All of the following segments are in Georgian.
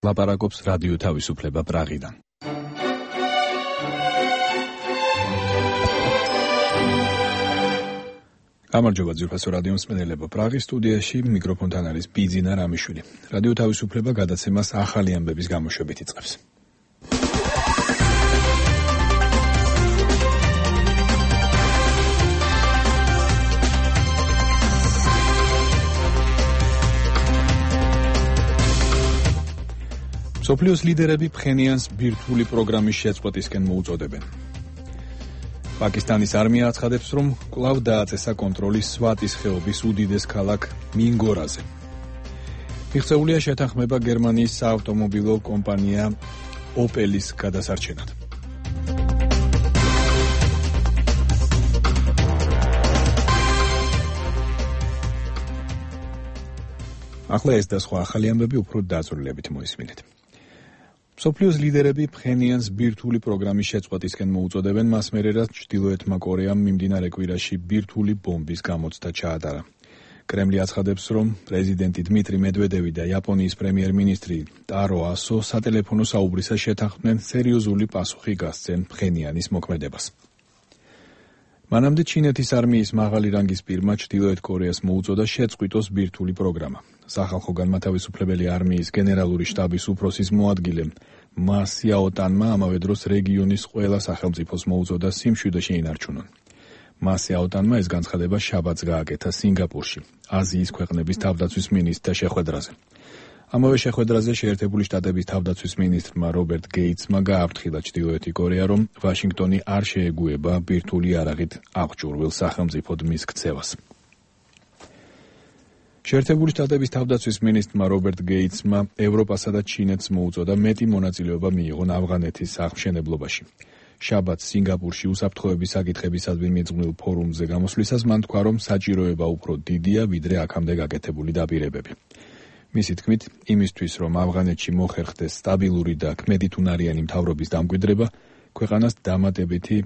ლაპარაკობს რადიო თავისუფლება პრაღიდან. გამარჯობა ძვირფასო რადიო მსმენელებო, პრაღის სტუდიაში მიკროფონთან არის ბიძინა რამიშვილი. რადიო თავისუფლება გადაცემას ახალი ამბების გამოშვებით იწყებს. მსოფლიოს ლიდერები ფხენიანს ბირთვული პროგრამის შეწყვეტისკენ მოუწოდებენ. პაკისტანის არმია აცხადებს, რომ კვლავ დააწესა კონტროლი სვატის ხეობის უდიდეს ქალაქ მინგორაზე. მიღწეულია შეთანხმება გერმანიის საავტომობილო კომპანია ოპელის გადასარჩენად. ახლა ეს და სხვა ახალი ამბები უფრო დაწვრილებით მოისმინეთ. მსოფლიოს ლიდერები ფხენიანს ბირთვული პროგრამის შეწყვეტისკენ მოუწოდებენ, მას მერე რაც ჩრდილოეთმა კორეამ მიმდინარე კვირაში ბირთვული ბომბის გამოცდა ჩაატარა. კრემლი აცხადებს, რომ პრეზიდენტი დმიტრი მედვედევი და იაპონიის პრემიერ-მინისტრი ტარო ასო სატელეფონო საუბრისას შეთანხმდნენ სერიოზული პასუხი გასცენ ფხენიანის მოქმედებას. მანამდე ჩინეთის არმიის მაღალი რანგის პირმა ჩრდილოეთ კორეას მოუწოდა შეწყვიტოს ბირთვული პროგრამა. სახალხო განმათავისუფლებელი არმიის გენერალური შტაბის უფროსის მოადგილე მა სიაოტანმა ამავე დროს რეგიონის ყველა სახელმწიფოს მოუწოდა სიმშვიდეში ინარჩუნონ. მა სიაოტანმა ეს განცხადება შაბათს გააკეთა სინგაპურში, აზიის ქვეყნების თავდაცვის მინისტრთა შეხვედრაზე. ამავე შეხვედრაზე შეერთებული შტატების თავდაცვის მინისტრმა რობერტ გეიტსმა გააფრთხილა ჩრდილოეთი კორეა, რომ ვაშინგტონი არ შეეგუება ბირთვული იარაღით აღჭურვილ სახელმწიფოდ მის ქცევას. შეერთებული შტატების თავდაცვის მინისტრმა რობერტ გეიტსმა ევროპასა და ჩინეთს მოუწოდა მეტი მონაწილეობა მიიღონ ავღანეთის აღმშენებლობაში. შაბათს სინგაპურში უსაფრთხოების საკითხებისადმი მიძღვნილ ფორუმზე გამოსვლისას მან თქვა, რომ საჭიროება უფრო დიდია, ვიდრე აქამდე გაკეთებული დაპირებები. მისი თქმით, იმისთვის, რომ ავღანეთში მოხერხდეს სტაბილური და ქმედითუნარიანი მთავრობის დამკვიდრება, ქვეყანას დამატებითი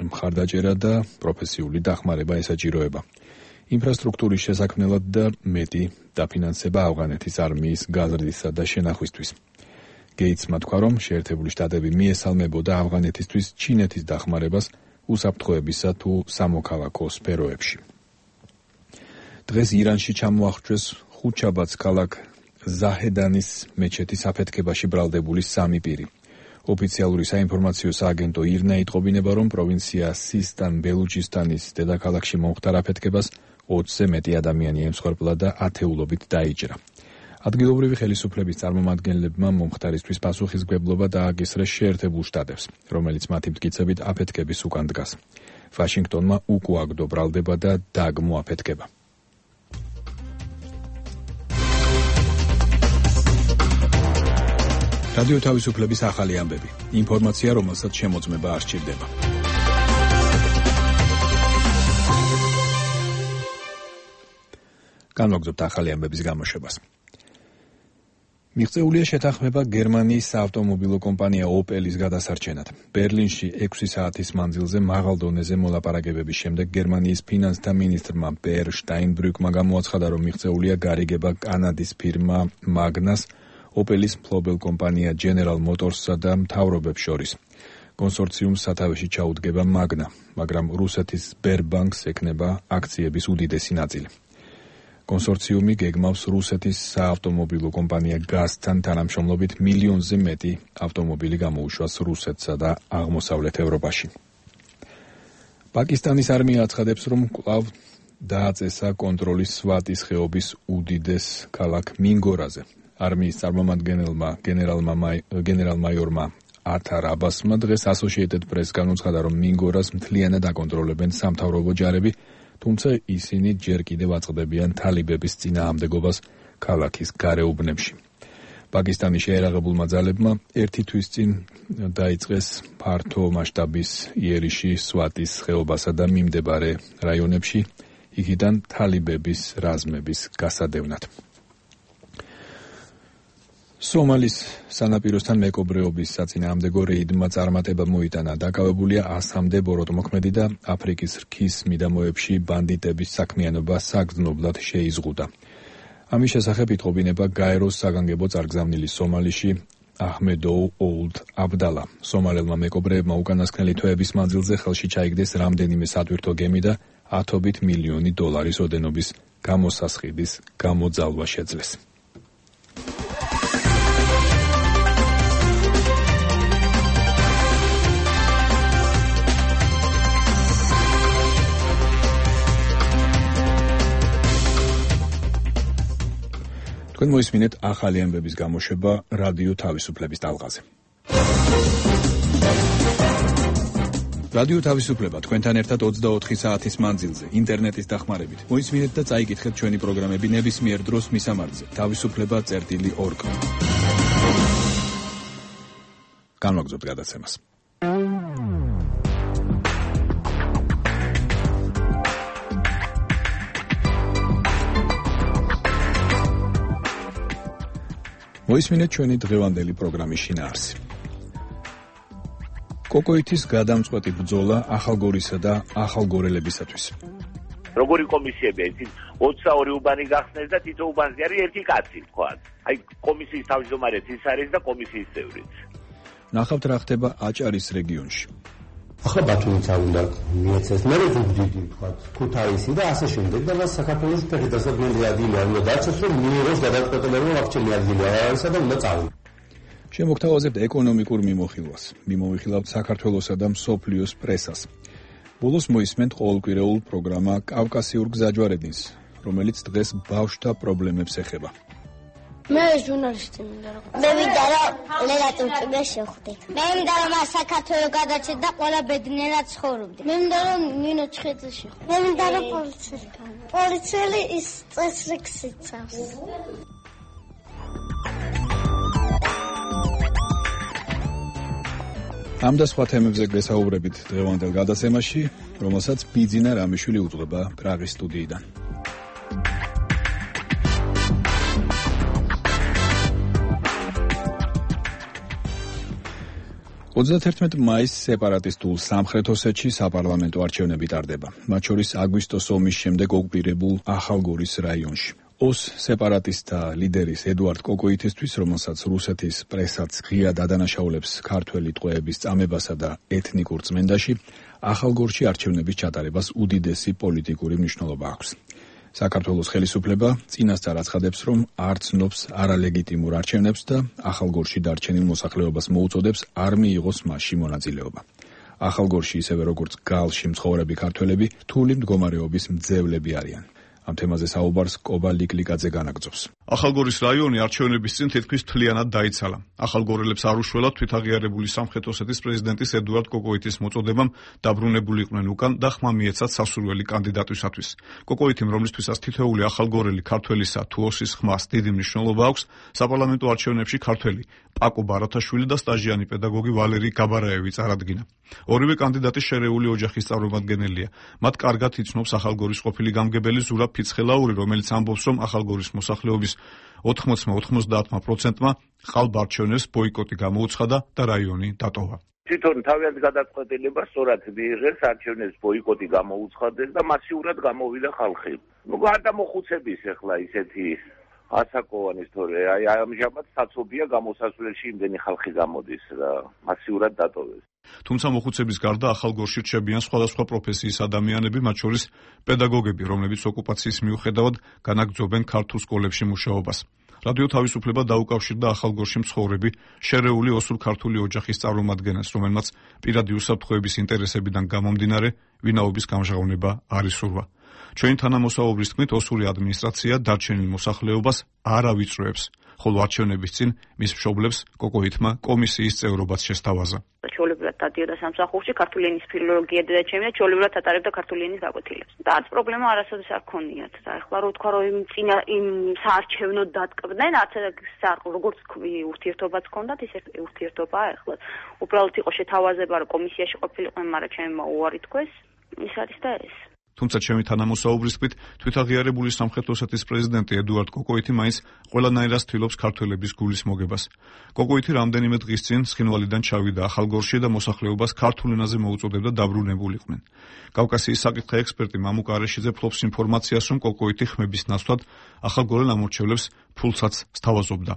მხარდაჭერა და პროფესიული დახმარება ესაჭიროება. ინფრასტრუქტურის შესაქმნელად და მეტი დაფინანსება ავღანეთის არმიის გაზრდისა და შენახვისთვის. გეიტსმა თქვა, რომ შეერთებული შტატები მიესალმებოდა ავღანეთისთვის ჩინეთის დახმარებას უსაფრთხოებისა თუ სამოქალაქო სფეროებში. დღეს ირანში ჩამოახრჩვეს ხუთშაბათს ქალაქ ზაჰედანის მეჩეთის აფეთქებაში ბრალდებული 3 პირი. ოფიციალური საინფორმაციო სააგენტო ირნა იტყობინება, რომ პროვინცია სისტან ბელუჩისტანის დედაქალაქში მომხდარ აფეთქებას 20-ზე მეტი ადამიანი ემსხვერპლა და ათეულობით დაიჭრა. ადგილობრივი ხელისუფლების წარმომადგენლებმა მომხდარისთვის პასუხისმგებლობა დააგისრეს შეერთებულ შტატებს, რომელიც მათი მტკიცებით აფეთქების უკან დგას. ვაშინგტონმა უკუაგდო ბრალდება და დაგმო აფეთქება. რადიო თავისუფლების ახალი ამბები. ინფორმაცია, რომელსაც შემოწმება არ სჭირდება. განვაგრძობთ ახალი ამბების გამოშვებას. მიღწეულია შეთანხმება გერმანიის საავტომობილო კომპანია ოპელის გადასარჩენად. ბერლინში 6 საათის მანძილზე მაღალ დონეზე მოლაპარაკებების შემდეგ გერმანიის ფინანსთა მინისტრმა პერ შტაინბრუკმა გამოაცხადა, რომ მიღწეულია გარიგება კანადის ფირმა მაგნას ოპელის მფლობელ კომპანია General Motors-სა და მთავრობებს შორის. კონსორციუმს სათავეში ჩაუდგება მაგნა, მაგრამ რუსეთის Sberbank-ს ექნება აქციების უდიდესი ნაწილი. კონსორციუმი გეგმავს რუსეთის საავტომობილო კომპანია გაზთან თანამშრომლობით მილიონზე მეტი ავტომობილი გამოუშვას რუსეთსა და აღმოსავლეთ ევროპაში. პაკისტანის არმია აცხადებს, რომ კვლავ დააწესა კონტროლი სვატის ხეობის უდიდეს ქალაქ მინგორაზე. არმიის წარმომადგენელმა გენერალ-მაიორმა ათარ აბასმა დღეს Associated Press-გან უცხადა, რომ მინგორას მთლიანად აკონტროლებენ სამთავრობო ჯარები, თუმცა ისინი ჯერ კიდევ აწყდებიან თალიბების წინააღმდეგობას ქალაქის გარეუბნებში. პაკისტანის შეერაღებულმა ძალებმა ერთი თვის წინ დაიწყეს ფართო მასშტაბის იერიში სვატის ხეობასა და მიმდებარე რაიონებში, იქიდან თალიბების რაზმების გასადევნად. სომალის სანაპიროსთან მეკობრეობის საწინააღმდეგო რეიდმა წარმატება მოიტანა. დაკავებულია 100-მდე ბოროტმოქმედი და აფრიკის რქის მიდამოებში ბანდიტების საქმიანობა საგრძნობლად შეიზღუდა. ამის შესახებ იტყობინება გაეროს საგანგებო წარგზავნილი სომალიში აჰმედოუ ოლდ აბდალა. სომალელმა მეკობრეებმა უკანასკნელი თვეების მანძილზე ხელში ჩაიგდეს რამდენიმე სატვირთო გემი და $10 მილიონი ოდენობის გამოსასყიდის გამოძალვა შეძლეს. თქვენ მოისმინეთ ახალი ამბების გამოშვება რადიო თავისუფლების ტალღაზე. რადიო თავისუფლება თქვენთან ერთად 24 საათის მანძილზე ინტერნეტის დახმარებით. მოისმინეთ და წაიკითხეთ ჩვენი პროგრამები ნებისმიერ დროს მისამართზე თავისუფლება.org. განვაგრძობთ გადაცემას. მოისმინეთ ჩვენი დღევანდელი პროგრამის შინაარსი. კოკოითის გადამწყვეტი ბრძოლა ახალგორისა და ახალგორელებისათვის. როგორი კომისიებია, იცით, 22 უბანი გახსნეს და თითო უბანზე არის ერთი კაცი, თქვა. აი კომისიის თავმჯდომარეც ის არის და კომისიის წევრიც. ნახავთ რა ხდება აჭარის რეგიონში. ახლა ბათუმიც არ უნდა მიეცეს, მე ზუგდიდი თქვა, ქუთაისი და ასე შემდეგ და მას საქართველოს ფედერაციული ადგილი არ უნდა დარჩეს, რომ მიიღოს გადაწყვეტილება ვაქცინი ადგილი არ არისა და უნდა წავიდე. შემოგთავაზებთ ეკონომიკურ მიმოხილვას. მიმოვიხილავთ საქართველოსა და მსოფლიოს პრესას. ბოლოს მოისმენთ ყოველკვირეულ პროგრამა კავკასიურ გზაჯვარედინს, რომელიც დღეს ბავშვთა პრობლემებს ეხება. მე ჟურნალისტი მინდა რომ. მე მინდა რომ ლელატურ წიგნს შევხვდეთ. მე მინდა რომ საქართველოს გადაჭეთ და ყველა ბედნიერად ცხოვრობდეთ. მე მინდა რომ ნინო ჩხეძე შევხვდეთ. მე მინდა რომ პოლიციელი ის წესრიგს იცავს. ამ და სხვა თემებზე გესაუბრებით დღევანდელ გადაცემაში, რომელსაც ბიძინა რამიშვილი უძღვება პრაღის სტუდიიდან. 31 მაისს სეპარატისტულ სამხრეთ ოსეთში საპარლამენტო არჩევნები ტარდება. მათ შორის აგვისტოს ომის შემდეგ ოკუპირებულ ახალგორის რაიონში. ოს სეპარატისტთა ლიდერის ედუარდ კოკოითისთვის, რომელსაც რუსეთის პრესაც ღიად ადანაშაულებს ქართველი ტყვეების წამებასა და ეთნიკურ წმენდაში, ახალგორში არჩევნების ჩატარებას უდიდესი პოლიტიკური მნიშვნელობა აქვს. საქართველოს ხელისუფლება წინასწარ აცხადებს, რომ არ ცნობს არალეგიტიმურ არჩევნებს და ახალგორში დარჩენილ მოსახლეობას მოუწოდებს არ მიიღოს მასში მონაწილეობა. ახალგორში, ისევე როგორც გალში მცხოვრები ქართველები, რთული მდგომარეობის მძევლები არიან. ამ თემაზე საუბარს კობა ლიკლიკაძე განაგრძობს. ახალგორის რაიონი არჩევნების წინ თითქმის მთლიანად დაიცალა. ახალგორელებს არ უშველათ თვითაღიარებული სამხრეთ ოსეთის პრეზიდენტის ედუარდ კოკოითის მოწოდებამ დაბრუნებული იყვნენ უკან და ხმა მიეცათ სასურველი კანდიდატისათვის. კოკოითიმ, რომლისთვისაც თითოეული ახალგორელი ქართველისა თუ ოსის ხმას დიდი მნიშვნელობა აქვს, საპარლამენტო არჩევნებში ქართველი პაკო ბარათაშვილი და სტაჟიანი პედაგოგი ვალერი გაბარაევი წარადგინა. ორივე კანდიდატი შერეული ოჯახის წარმომადგენელია. მათ კარგად იცნობს ახალგორის ყოფილი გამგებელი ზურაბ ფიცხელაური, რომელიც ამბობს, რომ ახალგორის მოსახლეობის 80-90%-მა ხალხ არჩევნებს ბოიკოტი გამოუცხადა და რაიონი დატოვა. თვითონ თავიანთ გადაწყვეტილებას სწორად მიიღეს, არჩევნებს ბოიკოტი გამოუცხადეს და მასიურად გამოვიდა ხალხი. ნუ გარდა მოხუცების ახლა ისეთი ასაკოვანი თორე აი ამჟამად საცობია გამოსასვლელში იმდენი ხალხი გამოდის და მასიურად დატოვეს. თუმცა მოხუცების გარდა ახალგორში რჩებიან სხვადასხვა პროფესიის ადამიანები, მათ შორის პედაგოგები, რომლებიც ოკუპაციის მიუხედავად განაგრძობენ ქართულ სკოლებში მუშაობას. რადიო თავისუფლება დაუკავშირდა ახალგორში მცხოვრები შერეული ოსურ-ქართული ოჯახის წარმომადგენელს, რომელმაც პირადი უსაფრთხოების ინტერესებიდან გამომდინარე ვინაობის გამჟღავნება არ ისურვა. ჩვენი თანამოსაუბრის თქმით, ოსური ადმინისტრაცია დარჩენილ მოსახლეობას არ ავიწროებს, ხოლო არჩევნების წინ მის მშობლებს კოკოითმა კომისიის წევრობაც შესთავაზა. ჩვეულებრივად დადიოდა სამსახურში, ქართული ენის ფილოლოგია და ჩემი და ჩვეულებრივად ატარებდა ქართული ენის გაკვეთილებს. და არც პრობლემა არასოდეს არ ქონიათ. და ეხლა რო თქვა, რომ იმ საარჩევნო დატკბდნენ, არც როგორც ურთიერთობაც ჰქონდათ, ის ურთიერთობაა ეხლა. უბრალოდ იყო შეთავაზება, რომ კომისიაში ყოფილიყვნენ, მაგრამ ჩემმა უარი თქვეს. ის არის და ეს. თუმცა ჩემი თანამოსაუბრის თქმით, თვითაღიარებული სამხრეთ ოსეთის პრეზიდენტი ედუარდ კოკოიტი მაინც ყველანაირად ცდილობს ქართველების გულის მოგებას. კოკოიტი რამდენიმე დღის წინ ცხინვალიდან ჩავიდა ახალგორში და მოსახლეობას ქართულ ენაზე მოუწოდებდა დაბრუნებულიყვნენ. კავკასიის საკითხი ექსპერტი მამუკ არეშიძე ფლობს ინფორმაციას, რომ კოკოიტი ხმების ნაცვლად ახალგორელ ამორჩევლებს ფულსაც სთავაზობდა.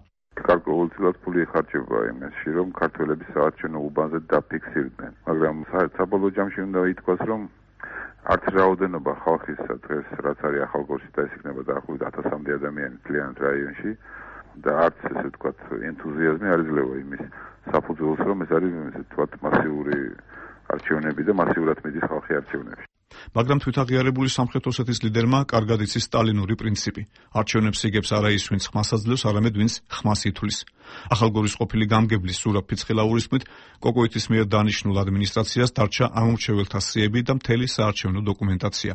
გარკვეულწილად ფული ეხარჯება იმაში, რომ ქართველები საარჩევნო უბანზე დაფიქსირდნენ, მაგრამ საბოლოო ჯამში უნდა ითქვას, რომ არც რაოდენობა ხალხისა დღეს რაც არის ახალგორში და ეს იქნება დაახლოებით 1000-მდე ადამიანი მთლიანად რაიონში და არც ესე ვთქვათ ენთუზიაზმი არ იძლევა იმის საფუძველს, რომ ეს არის ესე ვთქვათ მასიური არჩევნები და მასიურად მიდის ხალხი არჩევნებში. მაგრამ თვითაღიარებული სამხრეთ ოსეთის ლიდერმა კარგად იცის სტალინური პრინციპი. არჩევნებს იგებს არა ის, ვინც ხმას აძლევს, არამედ ვინც ხმას ითვლის. ახალგორის ყოფილი გამგებლის ზურაბ ფიცხელაურის თქმით, კოკოიტის მიერ დანიშნულ ადმინისტრაციას დარჩა ამორჩეველთა სიები და მთელი საარჩევნო დოკუმენტაცია.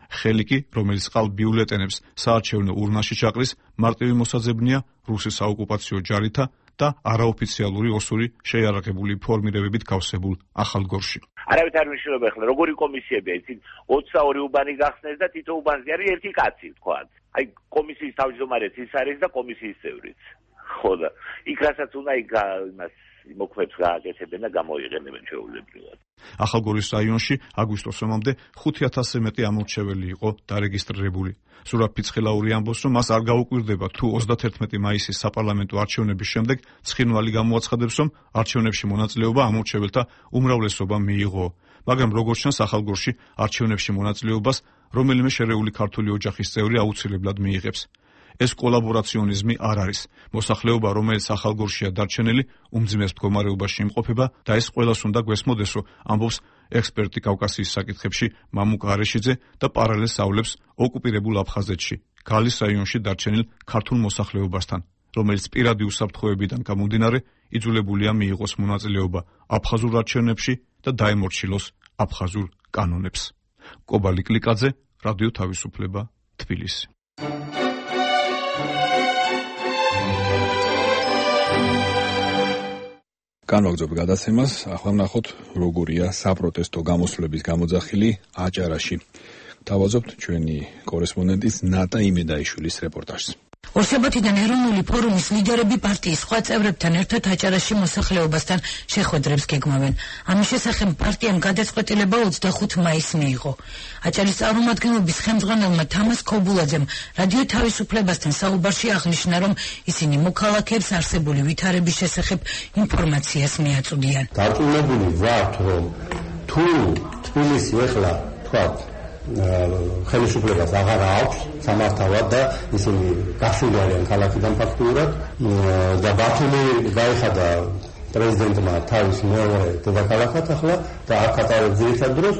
ხელი კი, რომელიც ყალ ბიულეტენებს საარჩევნო ურნაში ჩაყრის, მარტივი მოსაძებნია რუსის საოკუპაციო ჯარითა და არაოფიციალური ოსური შეიარაღებული ფორმირებებით გავსებულ ახალგორში. არავით არ მნიშვნელობა ახლა როგორი კომისიებია, იცით 22 უბანი გახსნეს და თითო უბანზე არის ერთი კაცი, თქვათ. აი კომისიის თავმჯდომარეც ის არის და კომისიის წევრიც. ხო და იქ რასაც უნდა იმას მოქმედს გააკეთებენ და გამოიყენებენ ჩვეულებრივად. ახალგორის რაიონში აგვისტოს ომამდე 5000-ზე მეტი ამორჩეველი იყო დარეგისტრირებული. ზურაბ ფიცხელაური ამბობს, რომ მას არ გაუკვირდება თუ 31 მაისის საპარლამენტო არჩევნების შემდეგ ცხინვალი გამოაცხადებს, რომ არჩევნებში მონაწილეობა ამორჩეველთა უმრავლესობამ მიიღო. მაგრამ როგორც ჩანს, ახალგორში არჩევნებში მონაწილეობას რომელიმე შერეული ქართული ოჯახის წევრი აუცილებლად მიიღებს. ეს კოლაბორაციონიზმი არ არის. მოსახლეობა, რომელიც ახალგორშია დარჩენილი, უმძიმეს მდგომარეობაში იმყოფება და ეს ყველას უნდა გვესმოდეს, რომ ამბობს ექსპერტი კავკასიის საკითხებში მამუკ არეშიძე და პარალელს ავლებს ოკუპირებულ აფხაზეთში, გალის რაიონში დარჩენილ ქართულ მოსახლეობასთან, რომელიც პირადი უსაფრთხოებიდან გამომდინარე იძულებულია მიიღოს მონაწილეობა აფხაზურ არჩევნებში და დაემორჩილოს აფხაზურ კანონებს. კობალი კლიკაძე, რადიო თავისუფლება, თბილისი. განვაგრძობ გადაცემას, ახლა ვნახოთ როგორია საპროტესტო გამოსვლების გამოძახილი აჭარაში. Თავაზობთ ჩვენი კორესპონდენტის ნატა იმედაიშვილის რეპორტაჟს. ორსაბათიდან ეროვნული ფორუმის ლიდერები პარტიის სხვა წევრებთან ერთად აჭარაში მოსახლეობასთან შეხვედრებს გეგმავენ. ამის შესახებ პარტიამ გადაწყვეტილება 25 მაისს მიიღო. აჭარის წარმომადგენლობის ხელმძღვანელმა თამას ქობულაძემ რადიო თავისუფლებასთან საუბარში აღნიშნა, რომ ისინი მოქალაქეებს არსებული ვითარების შესახებ ინფორმაციას მიაწვდიან. დარწმუნებული ვართ, რომ თუ თბილისი ეხლა თქვათ ხელისუფლებას აღარ აქვს სამართავად და ისინი გასული არიან ქალაქიდან ფაქტურად და ბათუმი გაიხადა პრეზიდენტმა თავის მეორე დედაქალაქად ახლა და აქ ატარებს ძირითად დროს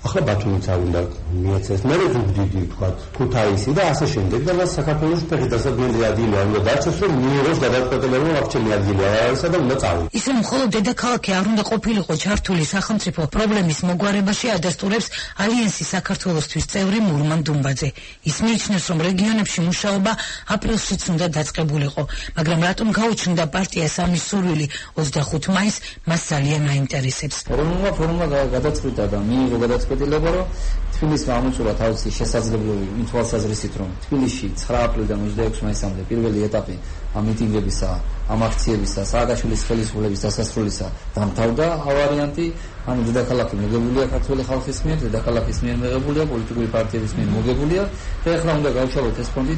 ახლა ბათუმიც არ უნდა მიეცეს მე ვუგდიდი თქვათ ქუთაისი და ასე შემდეგ და მას საქართველოს ფეხი დასაბრუნებელი ადგილი არ უნდა დარჩეს რომ მიიღოს გადაწყვეტილება რომ აქ ჩემი ადგილი არ არისა და უნდა წავიდე ისე მხოლოდ დედაქალაქი არ უნდა ყოფილიყო ჩართული სახელმწიფო პრობლემის მოგვარებაში ადასტურებს ალიანსის საქართველოსთვის წევრი მურმან დუმბაძე ის მიიჩნევს რომ რეგიონებში მუშაობა აპრილშიც უნდა დაწყებულიყო მაგრამ რატომ გაუჩნდა პარტიას ამის სურვილი 25 მაისს მას ძალიან აინტერესებს ფორუმმა გადაწყვიტა და მიიღო გადაწყვეტილება რომ თბილისმა ამოწურა თავისი შესაძლებლობები იმ თვალსაზრისით რომ თბილისში 9 აპრილიდან 26 მაისამდე პირველი ეტაპი ამ მიტინგებისა, ამ აქციებისა, სააკაშვილის ხელისუფლების დასასრულისა დამთავრდა ავარიანტი ანუ დედაქალაქი მოგებულია ქართული ხალხის მიერ, დედაქალაქის მიერ მიღებულია, პოლიტიკური პარტიების მიერ მოგებულია და ახლა უნდა გავშალოთ ეს ფონდი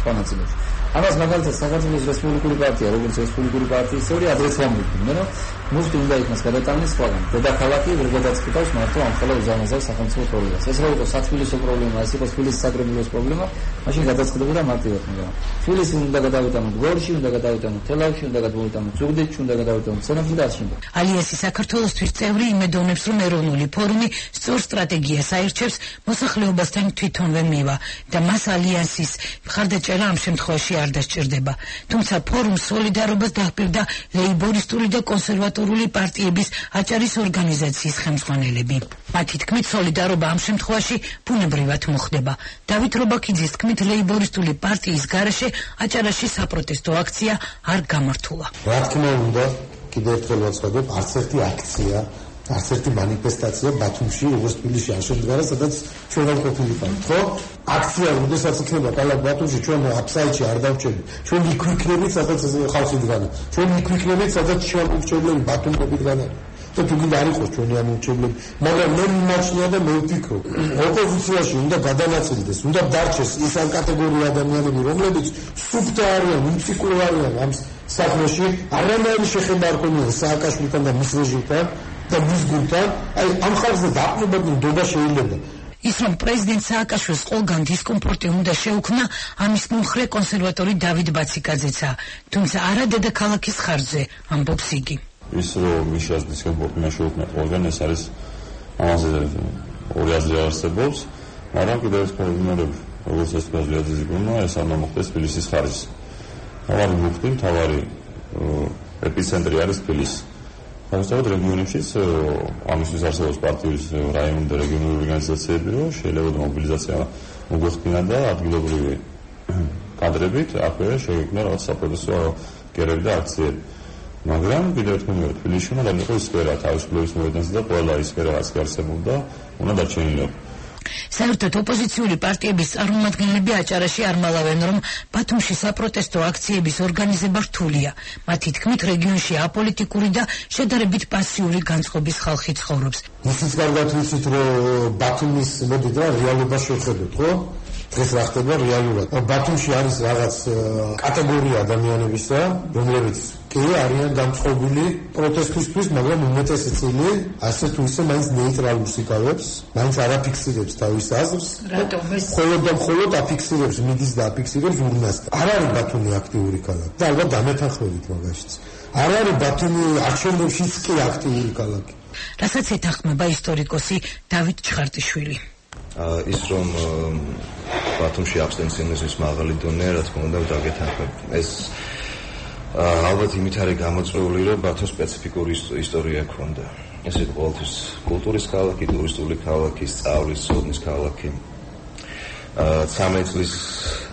სხვა ნაწილებში. ამას მაგალითად საქართველოს რესპუბლიკური პარტია, როგორც რესპუბლიკური პარტიის წევრი ადრეც ვამბობდი, რომ მუსტი უნდა იქნას გადატანილი სხვაგან. დედაქალაქი ვერ გადაწყვიტავს მართლა ამ ხოლმე უზარმაზარ სახელმწიფო პრობლემას. ეს რა იყო სათბილისო პრობლემა, ეს იყო თბილისის საკრებულოს პრობლემა, მაშინ გადაწყვეტებოდა მარტივად, მაგრამ თბილისი უნდა გადავიტანოთ გორში, უნდა გადავიტანოთ თელავში, უნდა გადავიტანოთ ზუგდიდში, უნდა გადავიტანოთ სენაკში და ასე შემდეგ. ალიანსი საქართველოსთვის წევრი იმედოვნებს, რომ ეროვნული ფორუმი სწორ სტრატეგიას აირჩევს მოსახლეობასთან თვითონვე მივა და მას ალიანსის მხარდაჭერა ამ შემთხვევაში არ დასჭირდება. თუმცა ფორუმს სოლიდარობას დაჰპირდა ლეიბორისტული და კონსერვატორული პარტიების აჭარის ორგანიზაციის ხელმძღვანელები. მათი თქმით, სოლიდარობა ამ შემთხვევაში ბუნებრივად მოხდება. დავით რობაქიძის თქმით, ლეიბორისტული პარტიის გარეშე აჭარაში საპროტესტო აქცია არ გამართულა. რა თქმა უნდა, კიდევ ერთხელ ვაცხადებ, არც ერთი აქცია არც ერთი მანიფესტაცია ბათუმში, როგორც თბილისში არ შემდგარა, სადაც ჩვენ არ ყოფილიყავით, ხო? აქცია, როდესაც იქნება ქალაქ ბათუმში, ჩვენ აფსაიდში არ დავჭერთ. ჩვენ იქ ვიქნებით, სადაც ხალხი დგანა. ჩვენ იქ ვიქნებით, სადაც შემოგვჭერლები ბათუმები დგანა. და თუ გინდა არ იყოს ჩვენი ამოჩევლები, მაგრამ მე მიმაჩნია და მე ვფიქრობ, ოპოზიციაში უნდა გადანაწილდეს, უნდა დარჩეს ის ამ კატეგორიის ადამიანები, რომლებიც სუფთა არიან, მუსიკური არიან ამ საქმეში, არანაირი შეხება არ ქონია სააკაშვილთან და მის რეჟიმთან და მის გუნდთან, აი ამ ხალხზე დაყრდნობადი ნდობა შეიძლება. ის რომ პრეზიდენტ სააკაშვილს ყველგან დისკომფორტი უნდა შეუქმნა, ამის მომხრე კონსერვატორი დავით ბაციკაძეცა, თუმცა არა დედაქალაქის ხარჯზე, ამბობს იგი. ის რომ მიშას დისკომფორტი შეუქმნა ყველგან, ეს არის ამაზე ორი აზრი არსებობს, მაგრამ კიდევ ეს პრობლემები, როგორც ეს გაზრდილი გუნა, ეს არ მოხდეს თბილისის ხარჯზე. თავარი მუხტი, თავარი ეპიცენტრი არის თბილისი. თავისთავად რეგიონებშიც ამისთვის არსებობს პარტიის რაიონული და რეგიონული ორგანიზაციები, რომ შეიძლება მობილიზაცია მოგვეხდინა და ადგილობრივი კადრებით აქვე შეიქმნა რაღაც საპროტესტო გერები და აქციები. მაგრამ კიდევ ერთხელ თბილისში უნდა იყოს სფერა თავისუფლების მოედანზე და ყველა ის სფერა რაც არსებობდა უნდა დარჩენილიყო. საერთოდ ოპოზიციური პარტიების წარმომადგენლები აჭარაში არ მალავენ, რომ ბათუმში საპროტესტო აქციების ორგანიზება რთულია. მათი თქმით, რეგიონში აპოლიტიკური და შედარებით პასიური განწყობის ხალხი ცხოვრობს. ისიც კარგად ვიცით, რომ ბათუმის მოდით რა რეალობა შევხედოთ, ხო? დღეს რა ხდება რეალურად. ბათუმში არის რაღაც კატეგორია ადამიანებისა, რომლებიც კი არიან დამწყობილი პროტესტისთვის, მაგრამ უმეტესი წილი ასე თუ ისე მაინც ნეიტრალურს იკავებს, მაინც არ აფიქსირებს თავის აზრს. მხოლოდ და მხოლოდ აფიქსირებს, მიდის და აფიქსირებს ურნას. არ არის ბათუმი აქტიური ქალაქი და ალბათ დამეთანხმებით მაგაშიც. არ არის ბათუმი არჩევნებშიც კი აქტიური ქალაქი. რასაც ეთანხმება ისტორიკოსი დავით ჩხარტიშვილი. ის რომ ბათუმში აბსტენციონიზმის მაღალი დონე, რა თქმა უნდა, დაგეთანხმებ. ეს ალბათ იმით არის გამოწვეული, რომ ბათუმს სპეციფიკური ისტორია ჰქონდა. ეს იყო ყოველთვის კულტურის ქალაქი, ტურისტული ქალაქი, სწავლის, სოდნის ქალაქი. 13 წლის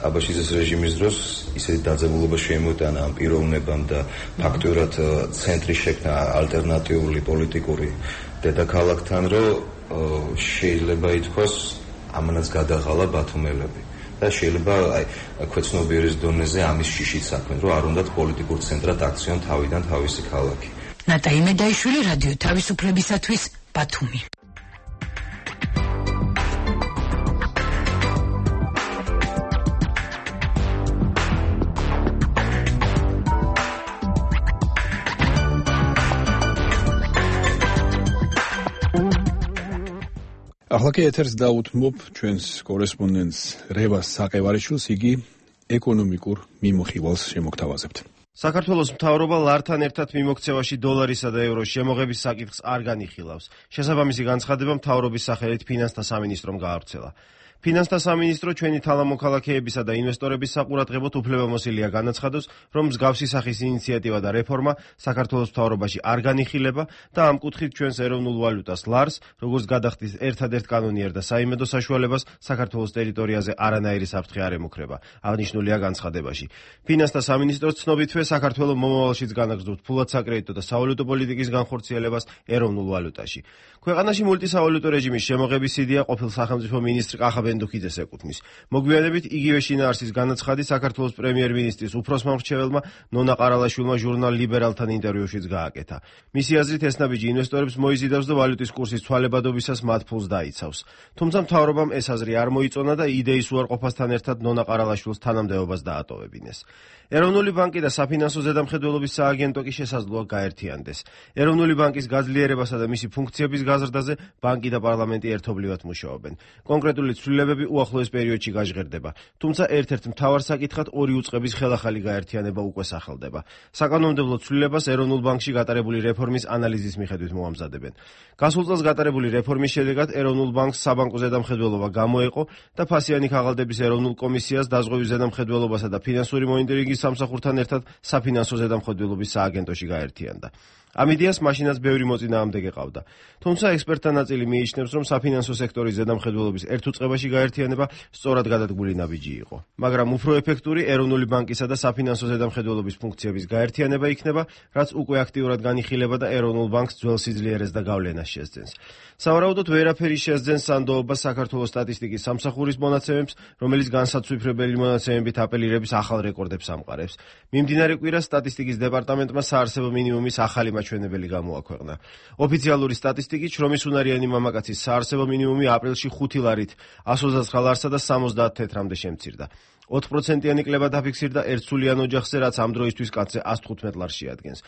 აბაშიძის რეჟიმის დროს ისეთი დაძაბულობა შემოიტანა ამ პიროვნებამ და ფაქტურად ცენტრი შექმნა ალტერნატიული პოლიტიკური დედაქალაქთან, რომ შეიძლება ითქვას ამანაც გადაღალა ბათუმელები და შეიძლება აი ქვეცნობიერის დონეზე ამის შიშით საქმე, რომ არ უნდათ პოლიტიკურ ცენტრად აქციონ თავიდან თავისი ქალაქი. ნატა იმედაიშვილი, რადიო თავისუფლებისათვის, ბათუმი. ახლა კი ეთერს დაუთმობ ჩვენს კორესპონდენტს რევას საყევარიშვილს, იგი ეკონომიკურ მიმოხილვას შემოგთავაზებთ. საქართველოს მთავრობა ლართან ერთად მიმოქცევაში დოლარისა და ევროს შემოღების საკითხს არ განიხილავს. შესაბამისი განცხადება მთავრობის სახელით ფინანსთა სამინისტრომ გაავრცელა. ფინანსთა სამინისტრო ჩვენი თალამოქალაქეებისა და ინვესტორების საყურადღებოდ უფლებამოსილია განაცხადოს, რომ მსგავსი სახის ინიციატივა და რეფორმა საქართველოს მთავრობაში არ განიხილება და ამ კუთხით ჩვენს ეროვნულ ვალუტას ლარს, როგორც გადახდის ერთადერთ კანონიერ და საიმედო საშუალებას საქართველოს ტერიტორიაზე არანაირი საფრთხე არ ემუქრება, აღნიშნულია განცხადებაში. ფინანსთა სამინისტროს ცნობითვე საქართველოს მომავალშიც განაგრძობს ფულად საკრედიტო და სავალუტო პოლიტიკის განხორციელებას ეროვნულ ვალუტაში. ქვეყანაში მულტისავალუტო რეჟიმის შემოღების იდეა ყოფილ სახელმწიფო მინისტრ კახა ბენდუქიძეს ეკუთვნის. მოგვიანებით იგივე შინაარსის განაცხადი საქართველოს პრემიერ-მინისტრის უფროსმა მრჩეველმა ნონა ყარალაშვილმა ჟურნალ ლიბერალთან ინტერვიუშიც გააკეთა. მისი აზრით ეს ნაბიჯი ინვესტორებს მოიზიდავს და ვალუტის კურსის ცვალებადობისას მათ ფულს დაიცავს. თუმცა მთავრობამ ეს აზრი არ მოიწონა და იდეის უარყოფასთან ერთად ნონა ყარალაშვილს თანამდებობას დაატოვებინეს. ეროვნული ბანკი და საფინანსო ზედამხედველობის სააგენტო კი შესაძლოა გაერთიანდეს. ეროვნული ბანკის გაძლიერებასა და მისი ფუნქციების გაზრდაზე ბანკი და პარლამენტი ერთობლივად მუშაობენ. კონკრეტული ცვლილებები უახლოეს პერიოდში გაჟღერდება, თუმცა ერთ-ერთ მთავარ საკითხად ორი უწყების ხელახალი გაერთიანება უკვე სახელდება. საკანონმდებლო ცვლილებას ეროვნულ ბანკში გატარებული რეფორმის ანალიზის მიხედვით მოამზადებენ. გასულ წელს გატარებული რეფორმის შედეგად ეროვნულ ბანკს საბანკო ზედამხედველობა გამოეყო და ფასიანი ქაღალდების ეროვნულ კომისიას დაზღვევის ზედამხედველობასა და ფინანსური მონიტორინგის სამსახურთან ერთად საფინანსო ზედამხედველობის სააგენტოში გაერთიანდა. ამ იდეას მაშინაც ბევრი მოწინააღმდეგე ყავდა. თუმცა ექსპერტთა ნაწილი მიიჩნევს, რომ საფინანსო სექტორის ზედამხედველობის ერთ უწყებაში გაერთიანება სწორად გადადგმული ნაბიჯი იყო. მაგრამ უფრო ეფექტური ეროვნული ბანკისა და საფინანსო ზედამხედველობის ფუნქციების გაერთიანება იქნება, რაც უკვე აქტიურად განიხილება და ეროვნულ ბანკს ძველ სიძლიერეს და გავლენას შესძენს. სავარაუდოდ ვერაფერი შესძენს სანდოობას საქართველოს სტატისტიკის სამსახურის მონაცემებს, რომელიც განსაცვიფრებელი მონაცემებით აპელირების ახალ რეკორდებს ამყარებს. მიმდინარე კვირას სტატისტიკის დეპარტამენტმა საარსებო მინიმუმის ახალი მაჩვენებელი გამოაქვეყნა. ოფიციალური სტატისტიკით შრომის უნარიანი მამაკაცის საარსებო მინიმუმი აპრილში 5 ლარით 129 ლარსა და 70 თეთრამდე შემცირდა. 4%-იანი კლება დაფიქსირდა ერთსულიან ოჯახზე, რაც ამ დროისთვის კაცზე 115 ლარს შეადგენს.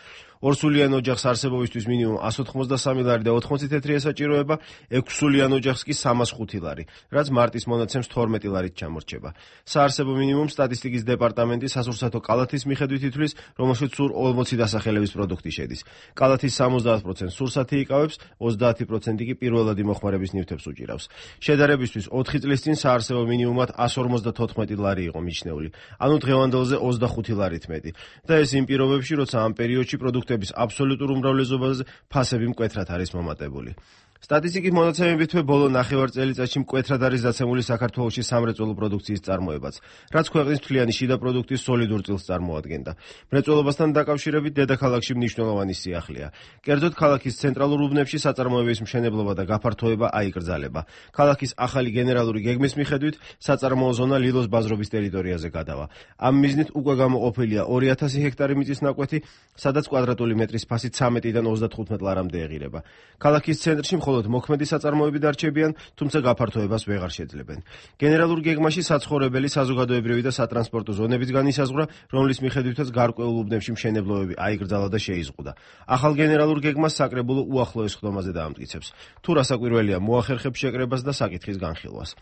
ორსულიან ოჯახს არსებობისთვის მინიმუმ 183 ლარი და 80 თეთრი ესაჭიროება, 6სულიან ოჯახს კი 305 ლარი, რაც მარტის მონაცემს 12 ლარით ჩამორჩება. საარსებო მინიმუმ სტატისტიკის დეპარტამენტის სასურსათო კალათის მიხედვით ითვლის, რომელშიც სულ 40 დასახელების პროდუქტი შედის. კალათის 70% სურსათი იკავებს, 30% კი პირველადი მოხმარების ნივთებს უჭირავს. შედარებისთვის 4 წლის წინ საარსებო მინიმუმად 154 ლარი იყო მიჩნეული, ანუ დღევანდელზე 25 ლარით მეტი. და ეს იმ პირობებში, როცა ამ პერიოდში პროდუქტების აბსოლუტურ უმრავლესობაზე ფასები მკვეთრად არის მომატებული. სტატისტიკის მონაცემებითვე ბოლო ნახევარ წელიწადში მკვეთრად არის დაცემული საქართველოში სამრეწველო პროდუქციის წარმოებაც, რაც ქვეყნის მთლიანი შიდა პროდუქტის სოლიდურ წილს წარმოადგენდა. მრეწველობასთან დაკავშირებით დედაქალაქში მნიშვნელოვანი სიახლეა. კერძოდ ქალაქის ცენტრალურ უბნებში საწარმოების მშენებლობა და გაფართოება აიკრძალება. ქალაქის ახალი გენერალური გეგმის მიხედვით საწარმოო ზონა ლილოს ბაზრობის ტერიტორიაზე გადავა. ამ მიზნით უკვე გამოყოფილია 2000 ჰექტარი მიწის ნაკვეთი, სადაც კვადრატული მეტრის ფასი 13-დან 35 ლარამდე ეღირება. ქალაქის ცენტრში მხოლოდ მოქმედი საწარმოები დარჩებიან, თუმცა გაფართოებას ვეღარ შეძლებენ. გენერალურ გეგმაში საცხოვრებელი, საზოგადოებრივი და სატრანსპორტო ზონებიც განისაზღვრა, რომლის მიხედვითაც გარკვეულ უბნებში მშენებლობები აიკრძალა და შეიზღუდა. ახალ გენერალურ გეგმას საკრებულო უახლოეს ხდომაზე დაამტკიცებს. თუ რასაკვირველია მოახერხებს შეკრებას და საკითხის განხილვას.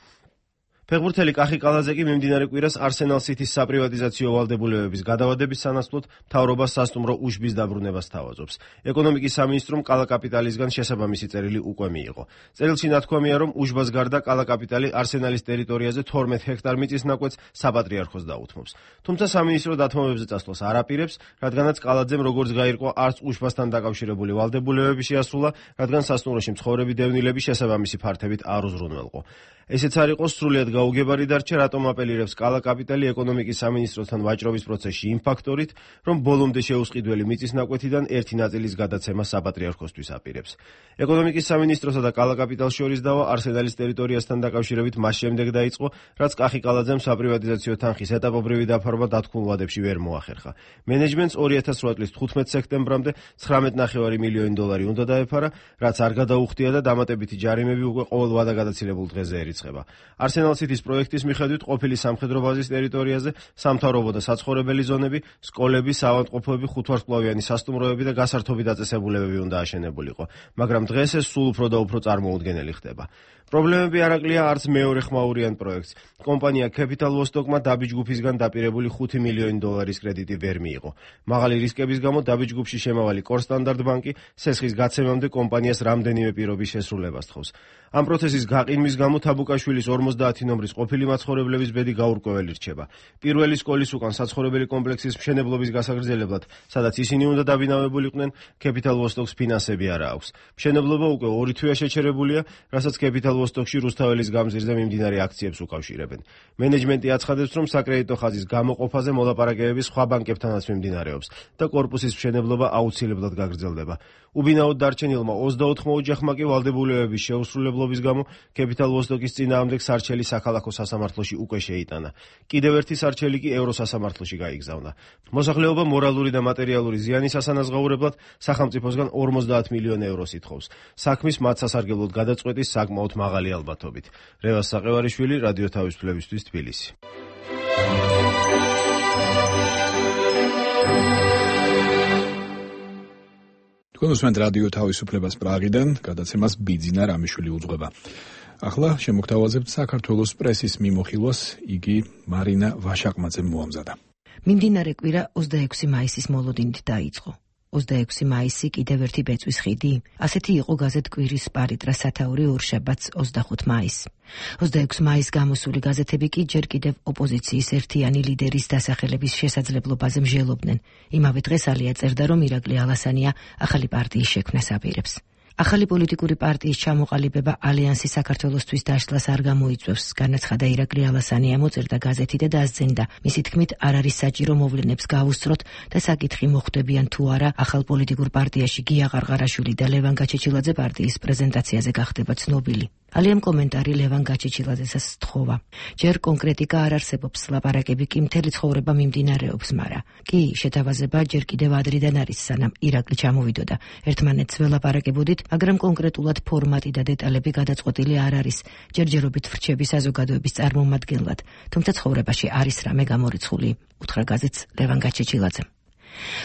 ფეხბურთელი კახი კალაძე კი მიმდინარე კვირას არსენალ სითის საპრივატიზაციო ვალდებულებების გადავადების სანაცვლოდ მთავრობას სასტუმრო უშბის დაბრუნებას თავაზობს. ეკონომიკის სამინისტრომ კალა კაპიტალისგან შესაბამისი წერილი უკვე მიიღო. წერილში ნათქვამია, რომ უშბას გარდა კალა კაპიტალი არსენალის ტერიტორიაზე 12 ჰექტარ მიწის ნაკვეთს საპატრიარქოს დაუთმობს. თუმცა სამინისტრო დათმობებზე წასვლას არ აპირებს, რადგანაც კალაძემ როგორც გაირკვა, არც უშბასთან დაკავშირებული ვალდებულებები შეასრულა, რადგან სასტუმროში მცხოვრები დევნილები შესაბამისი ფართებით არ უზრუნველყო. ესეც არ იყო სრულიად გაუგებარი დარჩა, რატომ აპელირებს კალა კაპიტალი ეკონომიკის სამინისტროსთან ვაჭრობის პროცესში იმ ფაქტორით, რომ ბოლომდე შეუსყიდველი მიწის ნაკვეთიდან ერთი ნაწილის გადაცემა საპატრიარქოსთვის აპირებს. ეკონომიკის სამინისტროსა და კალა კაპიტალს შორის დავა არსენალის ტერიტორიასთან დაკავშირებით მას შემდეგ დაიწყო, რაც კახი კალაძემ საპრივატიზაციო თანხის ეტაპობრივი დაფარვა დათქმულ ვადებში ვერ მოახერხა. მენეჯმენტს 2008 წლის 15 სექტემბრამდე 19,5 მილიონი დოლარი უნდა დაეფარა, რაც არ გადაუხდია და დამატებითი ჯარიმები უკვე ყოველ ვადაგადაცილებულ დღეზე ერიცხება. არსენალ სითის პროექტის მიხედვით ყოფილი სამხედრო ბაზის ტერიტორიაზე სამთავრობო და საცხოვრებელი ზონები, სკოლები, საავადმყოფოები, ხუთვარსკვლავიანი სასტუმროები და გასართობი დაწესებულებები უნდა აშენებულიყო, მაგრამ დღეს ეს სულ უფრო და უფრო წარმოუდგენელი ხდება. პრობლემები არ აკლია არც მეორე ხმაურიან პროექტს. კომპანია Capital Vostok-მა დაბი ჯგუფისგან დაპირებული 5 მილიონი დოლარის კრედიტი ვერ მიიღო. მაღალი რისკების გამო დაბი ჯგუფში შემავალი კორსტანდარტ ბანკი სესხის გაცემამდე კომპანიას რამდენიმე პირობის შესრულებას თხოვს. ამ პროცესის გაყინვის გამო თაბუკაშვილის 50 ნომრის ყოფილი მაცხოვრებლების ბედი გაურკვეველი რჩება. პირველი სკოლის უკან საცხოვრებელი კომპლექსის მშენებლობის გასაგრძელებლად, სადაც ისინი უნდა დაბინავებულიყვნენ, Capital Vostok-ს ფინანსები არ აქვს. მშენებლობა უკვე 2 თვეა შეჩერებულია, რასაც Capital Vostok-ში რუსთაველის გამზირზე მიმდინარე აქციებს უკავშირებენ. მენეჯმენტი აცხადებს, რომ საკრედიტო ხაზის გამოყოფაზე მოლაპარაკებები სხვა ბანკებთანაც მიმდინარეობს და კორპუსის მშენებლობა აუცილებლად გაგრძელდება. უბინაოდ დარჩენილმა 24 ოჯახმა კი ვალდებულებების შეუსრულებლობის გამო Capital Vostok-ის წინააღმდეგ სარჩელი საქალაქო სასამართლოში უკვე შეიტანა. კიდევ ერთი სარჩელი კი ევროსასამართლოში გაიგზავნა. მოსახლეობა მორალური და მატერიალური ზიანის ასანაზღაურებლად სახელმწიფოსგან 50 მილიონი ევროს ითხოვს. საქმის მათ სასარგებლოდ გადაწყვეტის საკმაოდ მაღალი ალბათობით. რევას საყევარიშვილი, რადიო თავისუფლებისთვის, თბილისი. თქვენ უსმენთ რადიო თავისუფლებას პრაღიდან, გადაცემას ბიძინა რამიშვილი უძღვება. ახლა შემოგთავაზებთ საქართველოს პრესის მიმოხილვას, იგი მარინა ვაშაკმაძემ მოამზადა. მიმდინარე კვირა 26 მაისის მოლოდინით დაიწყო. 26 მაისი კიდევ ერთი ბეწვის ხიდი? ასეთი იყო გაზეთ კვირის პარიტრა სათაური ორშაბათს 25 მაისს. 26 მაისს გამოსული გაზეთები კი ჯერ კიდევ ოპოზიციის ერთიანი ლიდერის დასახელების შესაძლებლობაზე მსჯელობდნენ. იმავე დღეს ალია წერდა, რომ ირაკლი ალასანია ახალი პარტიის შექმნას აპირებს. ახალი პოლიტიკური პარტიის ჩამოყალიბება ალიანსი საქართველოსთვის დაშლას არ გამოიწვევს, განაცხადა ირაკლი ალასანია, მოწერდა გაზეთი და დაასძენდა. მისი თქმით, არ არის საჭირო მოვლენებს გავუსწროთ და საკითხი მოხვდებიან თუ არა ახალ პოლიტიკურ პარტიაში გია ყარყარაშვილი და ლევან გაჩეჩილაძე პარტიის პრეზენტაციაზე გახდება ცნობილი. ალიამ კომენტარი ლევან გაჩეჩილაძესაც სთხოვა. ჯერ კონკრეტიკა არ არსებობს, ლაპარაკები კი მთელი ცხოვრება მიმდინარეობს, მაგრამ კი შეთავაზება ჯერ კიდევ ადრიდან არის, სანამ ირაკლი ჩამოვიდოდა. ერთმანეთს ველაპარაკებოდით, მაგრამ კონკრეტულად ფორმატი და დეტალები გადაწყვეტილი არ არის. ჯერჯერობით ვრჩები საზოგადოების წარმომადგენლად, თუმცა ცხოვრებაში არის რამე გამორიცხული, უთხრა გაზეთს ლევან გაჩეჩილაძემ.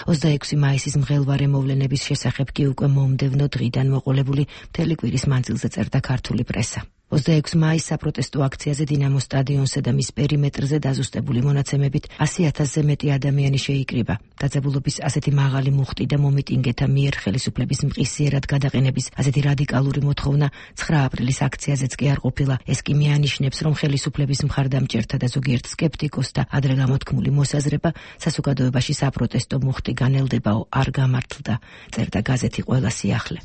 26 მაისის მღელვარე მოვლენების შესახებ კი უკვე მომდევნო დღიდან მოყოლებული მთელი კვირის მანძილზე წერდა ქართული პრესა. 26 მაისს საპროტესტო აქციაზე დინამოს სტადიონზე და მის პერიმეტრზე დაზუსტებული მონაცემებით 100,000-ზე მეტი ადამიანი შეიკრიბა. დაძაბულობის ასეთი მაღალი მუხტი და მომიტინგეთა მიერ ხელისუფლების მყისიერად გადაყენების ასეთი რადიკალური მოთხოვნა 9 აპრილის აქციაზეც კი არ ყოფილა. ეს კი მიანიშნებს, რომ ხელისუფლების მხარდამჭერთა და ზოგიერთ სკეპტიკოსთა ადრე გამოთქმული მოსაზრება საზოგადოებაში საპროტესტო მუხტი განელდებაო არ გამართლდა, წერდა გაზეთი ყველა სიახლე.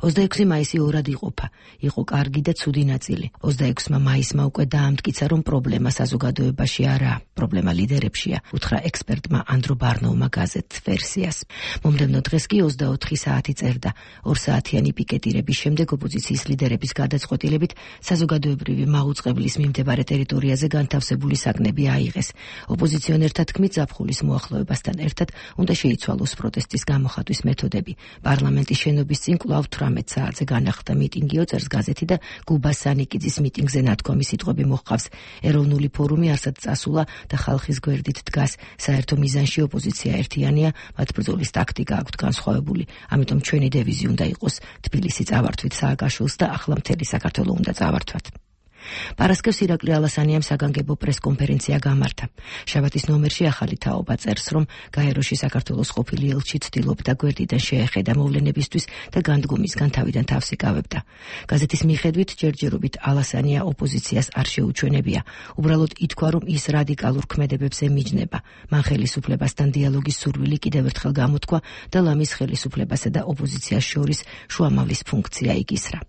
26 მაისი ორად იყოფა. იყო კარგი და ცუდი ნაწილი. 26 მაისმა უკვე დაამტკიცა, რომ პრობლემა საზოგადოებაში არაა, პრობლემა ლიდერებშია, უთხრა ექსპერტმა ანდრო ბარნოუმა გაზეთს ვერსიას. მომდევნო დღეს კი 24 საათი წერდა. 2 საათიანი პიკეტირების შემდეგ ოპოზიციის ლიდერების გადაწყვეტილებით საზოგადოებრივი მაუწყებლის მიმდებარე ტერიტორიაზე განთავსებული საგნები აიღეს. ოპოზიციონერთა თქმით, ზაფხულის მოახლოებასთან ერთად უნდა შეიცვალოს პროტესტის გამოხატვის მეთოდები. პარლამენტის შენობის წინ კვლავ 18 საათზე განახლდა მიტინგი, წერს გაზეთი და გუბა სანიკიძის მიტინგზე ნათქვამი სიტყვები მოჰყავს. ეროვნული ფორუმი არსად წასულა და ხალხის გვერდით დგას. საერთო მიზანში ოპოზიცია ერთიანია, მათ ბრძოლის ტაქტიკა აქვთ განსხვავებული. ამიტომ ჩვენი დევიზი უნდა იყოს თბილისი წავართვით სააკაშვილს და ახლა მთელი საქართველო უნდა წავართვათ. პარასკევს ირაკლი ალასანიამ საგანგებო პრესკონფერენცია გამართა. შაბათის ნომერში ახალი თაობა წერს, რომ გაეროში საქართველოს ყოფილი ელჩი ცდილობდა გვერდიდან შეეხედა მოვლენებისთვის და განდგომისგან თავიდან თავს იკავებდა. გაზეთის მიხედვით, ჯერჯერობით ალასანია ოპოზიციას არ შეუჩვენებია. უბრალოდ ითქვა, რომ ის რადიკალურ ქმედებებს ემიჯნება. მან ხელისუფლებასთან დიალოგის სურვილი კიდევ ერთხელ გამოთქვა და ლამის ხელისუფლებასა და ოპოზიციას შორის შუამავლის ფუნქცია იკისრა.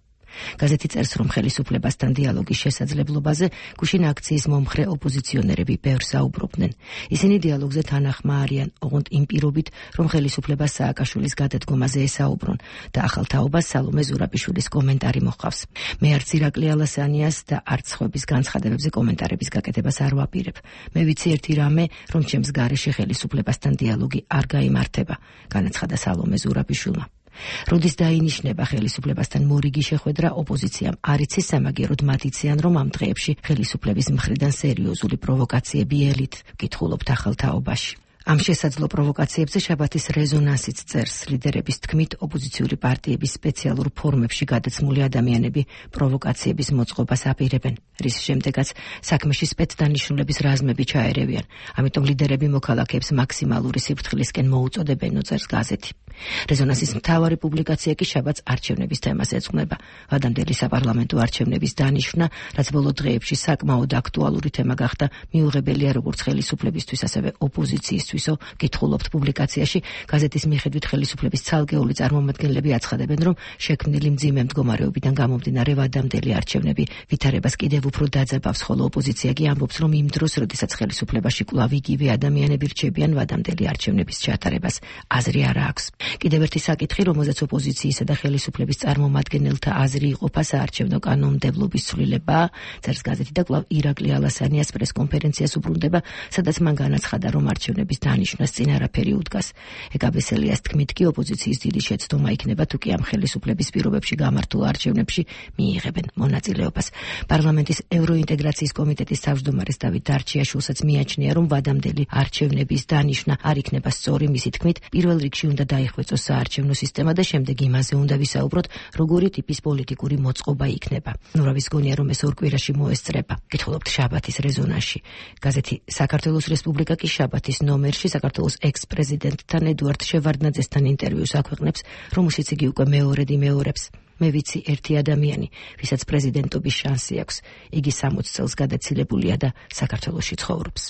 გაზეთი წერს, რომ ხელისუფლებასთან დიალოგის შესაძლებლობაზე გუშინ აქციის მომხრე ოპოზიციონერები ბევრს საუბრობდნენ. ისინი დიალოგზე თანახმა არიან, ოღონდ იმ პირობით, რომ ხელისუფლებას სააკაშვილის გადადგომაზე ესაუბრონ და ახალ თაობას სალომე ზურაბიშვილის კომენტარი მოჰყავს. მე არც ირაკლი ალასანიას და არც ხვების განცხადებებზე კომენტარების გაკეთებას არ ვაპირებ. მე ვიცი ერთი რამე, რომ ჩემს გარეშე ხელისუფლებასთან დიალოგი არ გაიმართება, განაცხადა სალომე ზურაბიშვილმა. როდის დაინიშნება ხელისუფლებასთან მორიგი შეხვედრა ოპოზიციამ არ იცის, სამაგიეროდ მათ იციან, რომ ამ დღეებში ხელისუფლების მხრიდან სერიოზული პროვოკაციები ელით, კითხულობთ ახალ თაობაში. ამ შესაძლო პროვოკაციებზე შაბათის რეზონანსიც წერს. ლიდერების თქმით, ოპოზიციური პარტიების სპეციალურ ფორმებში გადაცმული ადამიანები პროვოკაციების მოწყობას აპირებენ, რის შემდეგაც საქმეში სპეცდანიშნულების რაზმები ჩაერევიან. ამიტომ ლიდერები მოქალაქეებს მაქსიმალური სიფრთხილისკენ მოუწოდებენ, წერს გაზეთი. რეზონანსის მთავარი პუბლიკაცია კი შაბათს არჩევნების თემას ეძღვნება. ვადამდელი საპარლამენტო არჩევნების დანიშვნა, რაც ბოლო დღეებში საკმაოდ აქტუალური თემა გახდა, მიუღებელია როგორც ხელისუფლებისთვის, ასევე ოპოზიციისთვისო, კითხულობთ პუბლიკაციაში. გაზეთის მიხედვით ხელისუფლების ცალკეული წარმომადგენლები აცხადებენ, რომ შექმნილი მძიმე მდგომარეობიდან გამომდინარე ვადამდელი არჩევნები ვითარებას კიდევ უფრო დაძაბავს, ხოლო ოპოზიცია კი ამბობს, რომ იმ დროს, როდესაც ხელისუფლებაში კვლავ იგივე ადამიანები რჩებიან, ვადამდელი არჩევნების ჩატარებას აზრი არ აქვს. კიდევ ერთი საკითხი, რომელზეც ოპოზიციისა და ხელისუფლების წარმომადგენელთა აზრი იყოფა, საარჩევნო კანონმდებლობის ცვლილებაა, წერს გაზეთი და კვლავ ირაკლი ალასანიას პრესკონფერენციას უბრუნდება, სადაც მან განაცხადა, რომ არჩევნების დანიშვნას წინ არაფერი უდგას. ეკაბესელიას თქმით კი ოპოზიციის დიდი შეცდომა იქნება, თუ კი ამ ხელისუფლების პირობებში გამართულ არჩევნებში მიიღებენ მონაწილეობას. პარლამენტის ევროინტეგრაციის კომიტეტის თავმჯდომარეს დავით დარჩიაშვილსაც მიაჩნია, რომ ვადამდელი არჩევნების დანიშვნა არ იქნება სწორი, მისი თქმით, პირველ რიგში უნდა დაიხუროს დაიხვეწოს საარჩევნო სისტემა და შემდეგ იმაზე უნდა ვისაუბროთ, როგორი ტიპის პოლიტიკური მოწყობა იქნება. ნურავის გონია, რომ ეს ორ კვირაში მოესწრება. გითხულობთ შაბათის რეზონანსში. გაზეთი საქართველოს რესპუბლიკა კი შაბათის ნომერში საქართველოს ექს-პრეზიდენტთან ედუარდ შევარდნაძესთან ინტერვიუს აქვეყნებს, რომელშიც იგი უკვე მეორედ იმეორებს. მე ვიცი ერთი ადამიანი, ვისაც პრეზიდენტობის შანსი აქვს. იგი 60 წელს გადაცილებულია და საქართველოში ცხოვრობს.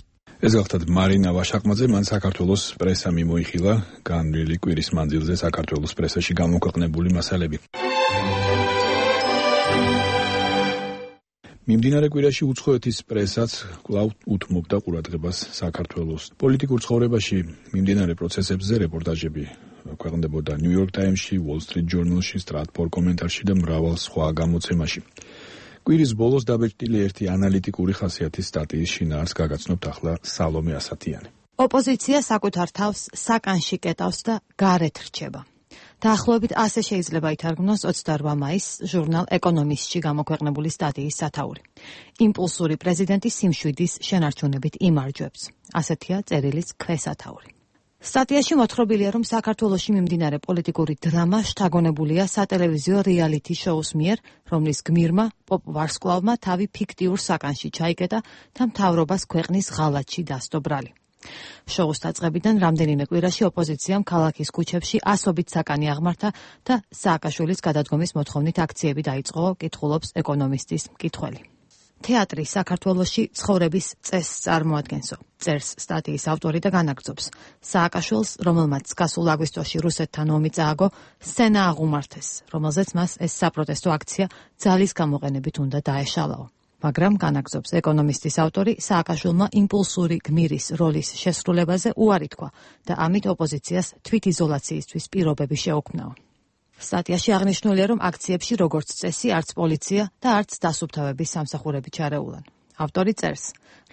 ეს გახლავთ მარინა ვაშაკმაძე, მან საქართველოს პრესა მიმოიხილა განვლილი კვირის მანძილზე საქართველოს პრესაში გამოქვეყნებული მასალები. მიმდინარე კვირაში უცხოეთის პრესაც კვლავ უთმობდა ყურადღებას საქართველოს პოლიტიკურ ცხოვრებაში მიმდინარე პროცესებზე რეპორტაჟები ქვეყნდებოდა New York Times-ში, Wall Street Journal-ში, Stratfor კომენტარში და მრავალ სხვა გამოცემაში. კვირის ბოლოს დაბეჭდილი ერთი ანალიტიკური ხასიათის სტატიის შინაარს გაგაცნობთ ახლა სალომე ასათიანი. ოპოზიცია საკუთარ თავს საკანში კეტავს და გარეთ რჩება. დაახლოებით ასე შეიძლება ითარგმნოს 28 მაისს ჟურნალ ეკონომისტში გამოქვეყნებული სტატიის სათაური. იმპულსური პრეზიდენტი სიმშვიდის შენარჩუნებით იმარჯვებს. ასეთია წერილის ქვესათაური. სტატიაში მოთხრობილია, რომ საქართველოში მიმდინარე პოლიტიკური დრამა შთაგონებულია სატელევიზიო რეალიტი შოუს მიერ, რომლის გმირმა პოპ ვარსკვლავმა თავი ფიქტიურ საკანში ჩაიკეტა და მთავრობას ქვეყნის ღალატში დასდო ბრალი. შოუს დაწყებიდან რამდენიმე კვირაში ოპოზიციამ ქალაქის ქუჩებში ასობით საკანი აღმართა და სააკაშვილის გადადგომის მოთხოვნით აქციები დაიწყო, კითხულობს ეკონომისტის მკითხველი. თეატრი საქართველოში ცხოვრების წესს წარმოადგენსო, წერს სტატიის ავტორი და განაგრძობს. სააკაშვილს, რომელმაც გასულ აგვისტოში რუსეთთან ომი წააგო, სცენა აღუმართეს, რომელზეც მას ეს საპროტესტო აქცია ძალის გამოყენებით უნდა დაეშალაო. მაგრამ განაგრძობს ეკონომისტის ავტორი, სააკაშვილმა იმპულსური გმირის როლის შესრულებაზე უარი თქვა და ამით ოპოზიციას თვითიზოლაციისთვის პირობები შეუქმნაო. სტატიაში აღნიშნულია, რომ აქციებში როგორც წესი არც პოლიცია და არც დასუფთავების სამსახურები ჩარეულან. ავტორი წერს,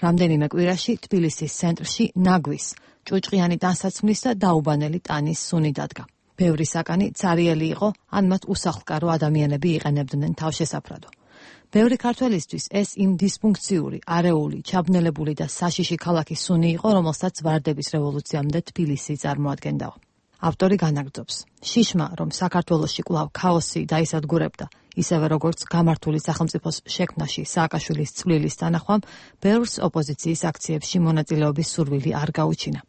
რამდენიმე კვირაში თბილისის ცენტრში ნაგვის, ჭუჭყიანი ტანსაცმლის და დაუბანელი ტანის სუნი დადგა. ბევრი საკანი цаრიელი იყო, ან მათ უსახლკარო ადამიანები იყენებდნენ თავშესაფრადო. ბევრი ქართველისთვის ეს იმ დისფუნქციური, არეული, ჩაბნელებული და საშიში ქალაქის სუნი იყო, რომელსაც ვარდების რევოლუციამდე თბილისი წარმოადგენდაო. ავტორი განაგრძობს. შიშმა, რომ საქართველოში კვლავ ქაოსი დაისადგურებდა, ისევე როგორც გამართული სახელმწიფოს შექმნაში სააკაშვილის წვლილის თანახმამ, ბევრს ოპოზიციის აქციებში მონაწილეობის სურვილი არ გაუჩინა.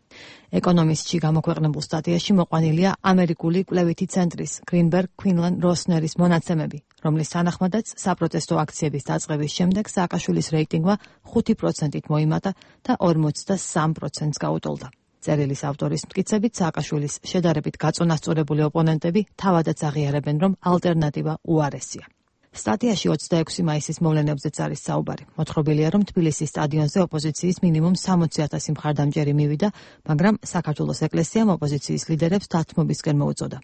ეკონომისტში გამოქვეყნებულ სტატიაში მოყვანილია ამერიკული კვლევითი ცენტრის Greenberg Quinlan Rossneris მონაცემები, რომლის თანახმადაც საპროტესტო აქციების დაწყების შემდეგ სააკაშვილის რეიტინგმა 5%-ით მოიმატა და 43%-ს გაუტოლდა. წერილის ავტორის მტკიცებით, სააკაშვილის შედარებით გაწონასწორებული ოპონენტები თავადაც აღიარებენ, რომ ალტერნატივა უარესია. სტატიაში 26 მაისის მოვლენებზეც არის საუბარი. მოთხრობილია, რომ თბილისის სტადიონზე ოპოზიციის მინიმუმ 60,000 მხარდამჭერი მივიდა, მაგრამ საქართველოს ეკლესიამ ოპოზიციის ლიდერებს დათმობისკენ მოუწოდა,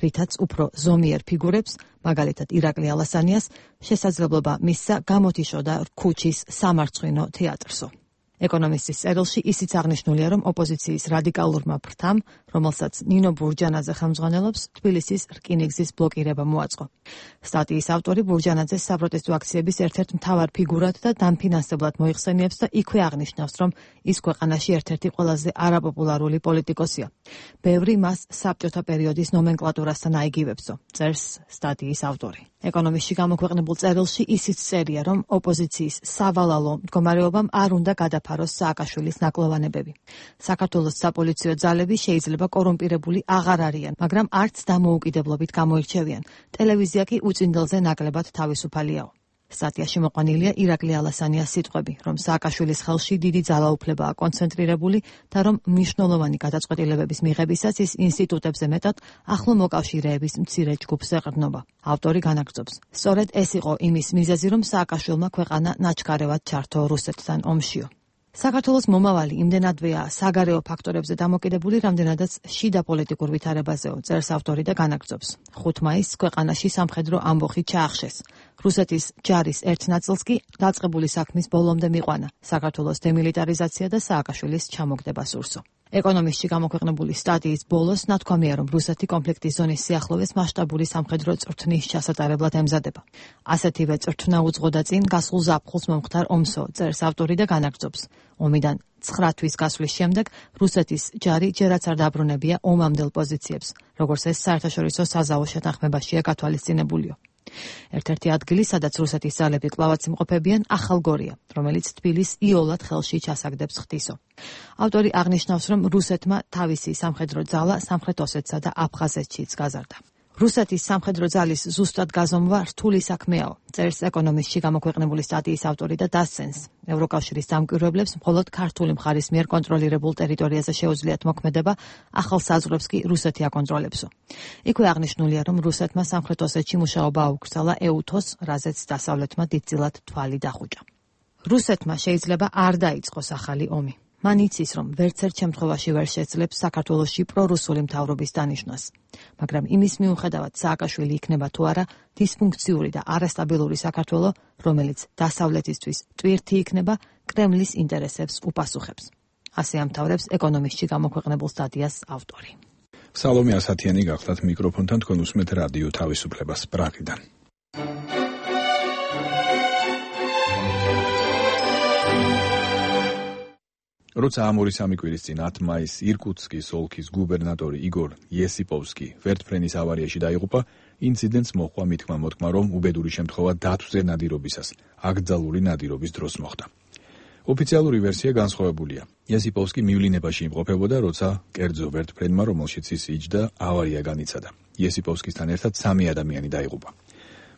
რითაც უფრო ზომიერ ფიგურებს, მაგალითად ირაკლი ალასანიას, შესაძლებლობა მისცა გამოთიშოდა ქუჩის სამარცხვინო თეატრსო. ეკონომისტის წერილში ისიც აღნიშნულია, რომ ოპოზიციის რადიკალურმა ფრთამ, რომელსაც ნინო ბურჯანაძე ხელმძღვანელობს, თბილისის რკინიგზის ბლოკირება მოაწყო. სტატიის ავტორი ბურჯანაძეს საპროტესტო აქციების ერთ-ერთ მთავარ ფიგურად და დამფინანსებლად მოიხსენიებს და იქვე აღნიშნავს, რომ ის ქვეყანაში ერთ-ერთი ყველაზე არაპოპულარული პოლიტიკოსია. ბევრი მას საბჭოთა პერიოდის ნომენკლატურასთან აიგივებსო, წერს სტატიის ავტორი. ეკონომისტში გამოქვეყნებულ წერილში ისიც წერია, რომ ოპოზიციის სავალალო მდგომარეობამ არ უნდა გადაფაროს სააკაშვილის ნაკლოვანებები. საქართველოს საპოლიციო ძალები შეიძლება კორუმპირებული აღარ არიან, მაგრამ არც დამოუკიდებლობით გამოირჩევიან. ტელევიზია კი უწინდელზე ნაკლებად თავისუფალიაო. სტატიაში მოყვანილია ირაკლი ალასანიას სიტყვები, რომ სააკაშვილის ხელში დიდი ძალაუფლებაა კონცენტრირებული და რომ მნიშვნელოვანი გადაწყვეტილებების მიღებისას ის ინსტიტუტებზე მეტად ახლო მოკავშირეების მცირე ჯგუფს ეყრდნობა. ავტორი განაგრძობს. სწორედ ეს იყო იმის მიზეზი, რომ სააკაშვილმა ქვეყანა ნაჩქარევად ჩართო რუსეთთან ომშიო. საქართველოს მომავალი იმდენადვეა საგარეო ფაქტორებზე დამოკიდებული, რამდენადაც შიდა პოლიტიკურ ვითარებაზეო, წერს ავტორი და განაგრძობს. 5 მაისს ქვეყანაში სამხედრო ამბოხი ჩაახშეს. რუსეთის ჯარის ერთ ნაწილს კი დაწყებული საქმის ბოლომდე მიყვანა საქართველოს დემილიტარიზაცია და სააკაშვილის ჩამოგდება სურსო. ეკონომისტში გამოქვეყნებული სტატიის ბოლოს ნათქვამია, რომ რუსეთი კონფლიქტის ზონის სიახლოვეს მასშტაბური სამხედრო წვრთნის ჩასატარებლად ემზადება. ასეთივე წვრთნა უძღოდა წინ გასულ ზაფხულს მომხდარ ომსო, წერს ავტორი და განაგრძობს. ომიდან 9 თვის გასვლის შემდეგ რუსეთის ჯარი ჯერაც არ დაბრუნებია ომამდელ პოზიციებს, როგორც ეს საერთაშორისო საზავო შეთანხმებაშია გათვალისწინებულიო. ერთ-ერთი ადგილი, სადაც რუსეთის ძალები კლავაც იმყოფებიან, ახალგორია, რომელიც თბილისს იოლად ხელში ჩასაგდებს ხდისო. ავტორი აღნიშნავს, რომ რუსეთმა თავისი სამხედრო ძალა სამხრეთ ოსეთსა და აფხაზეთშიც გაზარდა. რუსეთის სამხედრო ძალის ზუსტად გაზომვა რთული საქმეაო, წერს ეკონომისტში გამოქვეყნებული სტატიის ავტორი და დასცენს. ევროკავშირის დამკვირვებლებს მხოლოდ ქართული მხარის მიერ კონტროლირებულ ტერიტორიაზე შეუძლიათ მოქმედება, ახალ საზღვრებს კი რუსეთი აკონტროლებსო. იქვე აღნიშნულია, რომ რუსეთმა სამხრეთ ოსეთში მუშაობა აუკრძალა ეუთოს, რაზეც დასავლეთმა დიდწილად თვალი დახუჭა. რუსეთმა შეიძლება არ დაიწყოს ახალი ომი. მან იცის, რომ ვერცერთ შემთხვევაში ვერ შეძლებს საქართველოში პრორუსული მთავრობის დანიშვნას. მაგრამ იმის მიუხედავად სააკაშვილი იქნება თუ არა დისფუნქციური და არასტაბილური საქართველო, რომელიც დასავლეთისთვის ტვირთი იქნება, კრემლის ინტერესებს უპასუხებს. ასე ამთავრებს ეკონომისტში გამოქვეყნებულ სტატიას ავტორი. სალომე ასათიანი გახდათ მიკროფონთან, თქვენ უსმენთ რადიო თავისუფლებას პრაღიდან. როცა ამ 2-3 კვირის წინ 10 მაისს ირკუტსკის ოლქის გუბერნატორი იგორ იესიპოვსკი ვერტფრენის ავარიაში დაიღუპა, ინციდენტს მოჰყვა მითქმა-მოთქმა, რომ უბედური შემთხვევა დათვზე ნადირობისას, აკრძალული ნადირობის დროს მოხდა. ოფიციალური ვერსია განსხვავებულია. იესიპოვსკი მივლინებაში იმყოფებოდა, როცა კერძო ვერტფრენმა, რომელშიც ის იჯდა, ავარია განიცადა. იესიპოვსკისთან ერთად 3 ადამიანი დაიღუპა.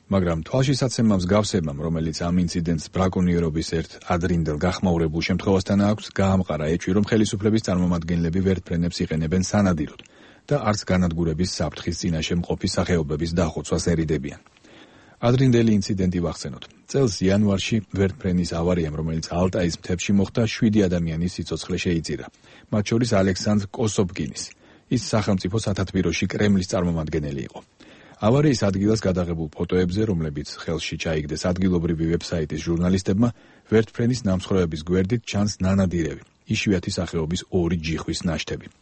მაგრამ თვალშისაცემა მსგავსებამ, რომელიც ამ ინციდენტს ბრაკონიერობის ერთ ადრინდელ გახმაურებულ შემთხვევასთან აქვს, გაამყარა ეჭვი, რომ ხელისუფლების წარმომადგენლები ვერტფრენებს იყენებენ სანადიროდ და არც განადგურების საფრთხის წინაშე მყოფი სახეობების დახოცვას ერიდებიან. ადრინდელი ინციდენტი ვახსენოთ. წელს იანვარში ვერტფრენის ავარიამ, რომელიც ალტაის მთებში მოხდა, 7 ადამიანის სიცოცხლე შეიწირა, მათ შორის ალექსანდრ კოსობკინის. ის სახელმწიფო სათათბიროში კრემლის წარმომადგენელი იყო. ავარიის ადგილას გადაღებულ ფოტოებზე, რომლებიც ხელში ჩაიგდეს ადგილობრივი ვებსაიტის ჟურნალისტებმა, ვერტფრენის ნამსხვრევების გვერდით ჩანს ნანადირევი, იშვიათი სახეობის 2 ჯიხვის ნაშთები.